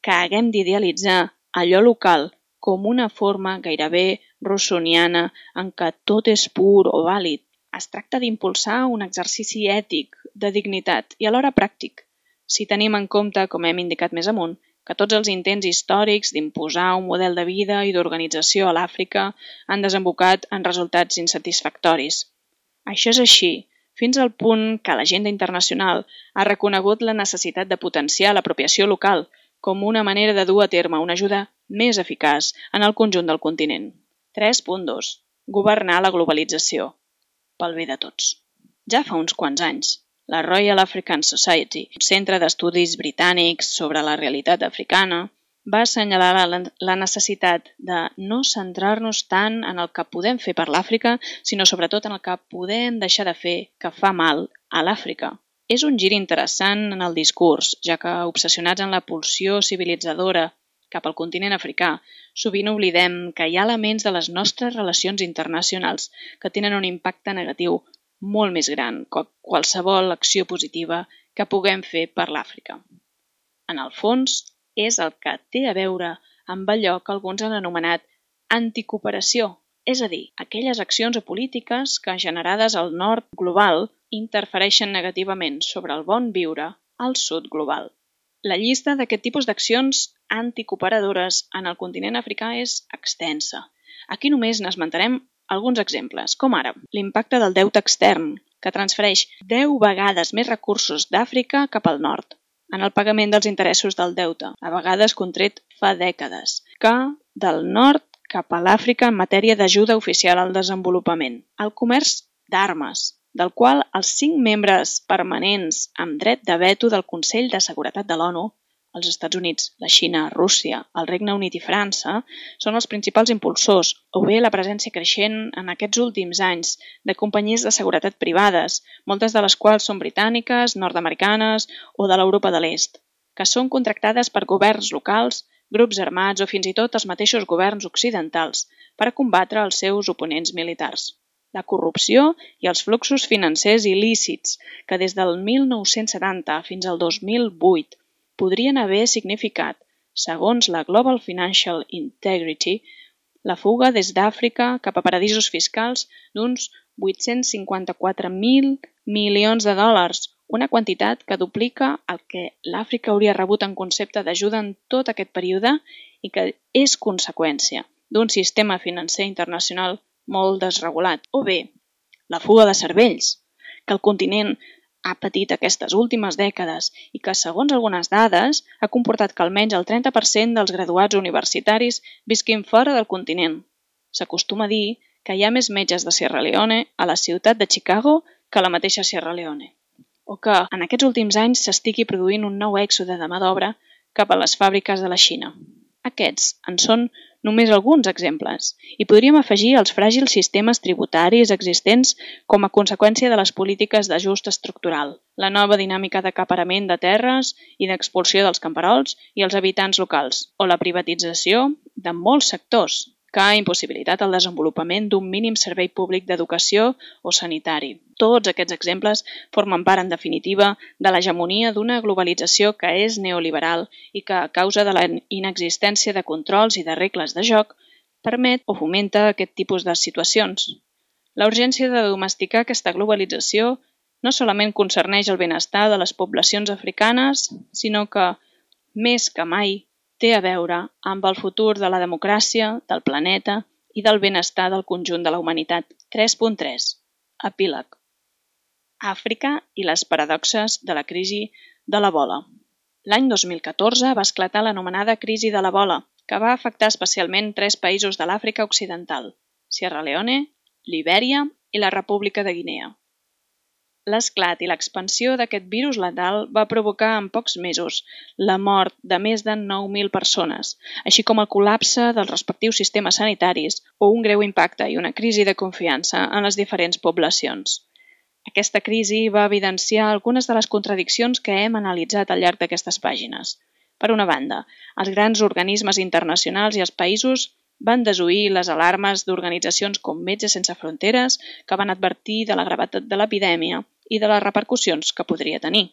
que haguem d'idealitzar allò local com una forma gairebé rousseauiana en què tot és pur o vàlid. Es tracta d'impulsar un exercici ètic, de dignitat i alhora pràctic, si tenim en compte, com hem indicat més amunt, que tots els intents històrics d'imposar un model de vida i d'organització a l'Àfrica han desembocat en resultats insatisfactoris. Això és així, fins al punt que l'agenda internacional ha reconegut la necessitat de potenciar l'apropiació local com una manera de dur a terme una ajuda més eficaç en el conjunt del continent. tres punt dos. Governar la globalització. Pel bé de tots. Ja fa uns quants anys, la Royal African Society, un centre d'estudis britànics sobre la realitat africana, va assenyalar la necessitat de no centrar-nos tant en el que podem fer per l'Àfrica, sinó sobretot en el que podem deixar de fer que fa mal a l'Àfrica. És un gir interessant en el discurs, ja que, obsessionats en la pulsió civilitzadora cap al continent africà, sovint oblidem que hi ha elements de les nostres relacions internacionals que tenen un impacte negatiu molt més gran que qualsevol acció positiva que puguem fer per l'Àfrica. En el fons, és el que té a veure amb allò que alguns han anomenat anticooperació, és a dir, aquelles accions o polítiques que, generades al nord global, interfereixen negativament sobre el bon viure al sud global. La llista d'aquest tipus d'accions anticooperadores en el continent africà és extensa. Aquí només n'esmentarem alguns exemples, com ara l'impacte del deute extern, que transfereix deu vegades més recursos d'Àfrica cap al nord, en el pagament dels interessos del deute, a vegades contret fa dècades, que del nord cap a l'Àfrica en matèria d'ajuda oficial al desenvolupament. El comerç d'armes, del qual els cinc membres permanents amb dret de veto del Consell de Seguretat de l'ONU, els Estats Units, la Xina, Rússia, el Regne Unit i França, són els principals impulsors, o bé la presència creixent en aquests últims anys de companyies de seguretat privades, moltes de les quals són britàniques, nord-americanes o de l'Europa de l'Est, que són contractades per governs locals, grups armats o fins i tot els mateixos governs occidentals per a combatre els seus oponents militars. La corrupció i els fluxos financers il·lícits que des del mil nou-cents setanta fins al dos mil vuit podrien haver significat, segons la Global Financial Integrity, la fuga des d'Àfrica cap a paradisos fiscals d'uns vuit-cents cinquanta-quatre mil milions de dòlars, una quantitat que duplica el que l'Àfrica hauria rebut en concepte d'ajuda en tot aquest període i que és conseqüència d'un sistema financer internacional molt desregulat. O bé, la fuga de cervells, que el continent ha patit aquestes últimes dècades i que, segons algunes dades, ha comportat que almenys el trenta per cent dels graduats universitaris visquin fora del continent. S'acostuma a dir que hi ha més metges de Sierra Leone a la ciutat de Chicago que a la mateixa Sierra Leone, o que en aquests últims anys s'estigui produint un nou èxode de mà d'obra cap a les fàbriques de la Xina. Aquests en són només alguns exemples, i podríem afegir els fràgils sistemes tributaris existents com a conseqüència de les polítiques d'ajust estructural, la nova dinàmica d'acaparament de terres i d'expulsió dels camperols i els habitants locals, o la privatització de molts sectors, que ha impossibilitat el desenvolupament d'un mínim servei públic d'educació o sanitari. Tots aquests exemples formen part, en definitiva, de l'hegemonia d'una globalització que és neoliberal i que, a causa de la inexistència de controls i de regles de joc, permet o fomenta aquest tipus de situacions. La urgència de domesticar aquesta globalització no solament concerneix el benestar de les poblacions africanes, sinó que, més que mai, té a veure amb el futur de la democràcia, del planeta i del benestar del conjunt de la humanitat. tres punt tres. Epíleg. Àfrica i les paradoxes de la crisi de l'ebola. L'any dos mil catorze va esclatar l'anomenada crisi de l'ebola, que va afectar especialment tres països de l'Àfrica Occidental, Sierra Leone, Libèria i la República de Guinea. L'esclat i l'expansió d'aquest virus letal va provocar en pocs mesos la mort de més de nou mil persones, així com el col·lapse dels respectius sistemes sanitaris o un greu impacte i una crisi de confiança en les diferents poblacions. Aquesta crisi va evidenciar algunes de les contradiccions que hem analitzat al llarg d'aquestes pàgines. Per una banda, els grans organismes internacionals i els països van desoir les alarmes d'organitzacions com Metges Sense Fronteres que van advertir de la gravetat de l'epidèmia i de les repercussions que podria tenir.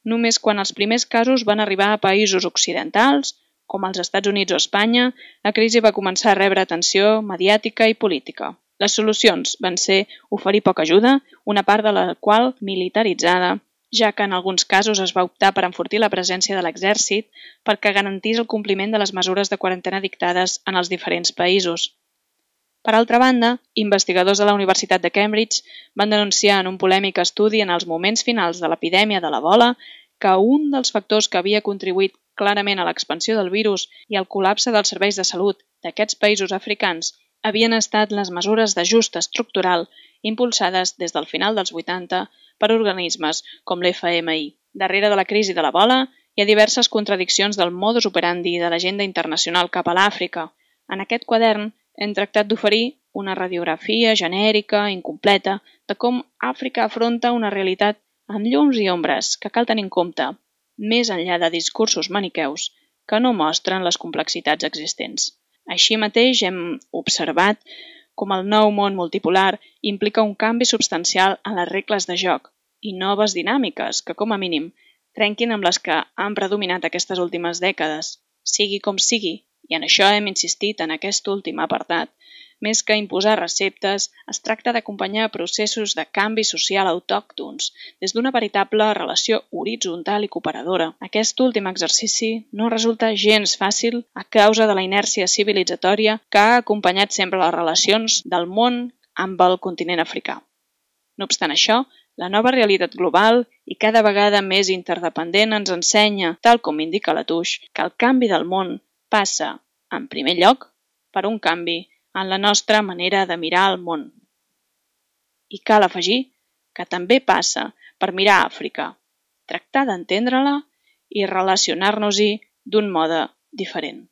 Només quan els primers casos van arribar a països occidentals, com els Estats Units o Espanya, la crisi va començar a rebre atenció mediàtica i política. Les solucions van ser oferir poca ajuda, una part de la qual militaritzada, ja que en alguns casos es va optar per enfortir la presència de l'exèrcit perquè garantís el compliment de les mesures de quarantena dictades en els diferents països. Per altra banda, investigadors de la Universitat de Cambridge van denunciar en un polèmic estudi en els moments finals de l'epidèmia de l'ebola que un dels factors que havia contribuït clarament a l'expansió del virus i al col·lapse dels serveis de salut d'aquests països africans havien estat les mesures d'ajust estructural impulsades des del final dels vuitanta per organismes com l'F M I. Darrere de la crisi de l'ebola hi ha diverses contradiccions del modus operandi de l'agenda internacional cap a l'Àfrica. En aquest quadern hem tractat d'oferir una radiografia genèrica, incompleta, de com Àfrica afronta una realitat amb llums i ombres que cal tenir en compte, més enllà de discursos maniqueus que no mostren les complexitats existents. Així mateix hem observat com el nou món multipolar implica un canvi substancial en les regles de joc i noves dinàmiques que, com a mínim, trenquin amb les que han predominat aquestes últimes dècades. Sigui com sigui, i en això hem insistit en aquest últim apartat, més que imposar receptes, es tracta d'acompanyar processos de canvi social autòctons des d'una veritable relació horitzontal i cooperadora. Aquest últim exercici no resulta gens fàcil a causa de la inèrcia civilitzatòria que ha acompanyat sempre les relacions del món amb el continent africà. No obstant això, la nova realitat global i cada vegada més interdependent ens ensenya, tal com indica Latouche, que el canvi del món passa, en primer lloc, per un canvi en la nostra manera de mirar el món. I cal afegir que també passa per mirar Àfrica, tractar d'entendre-la i relacionar-nos-hi d'un mode diferent.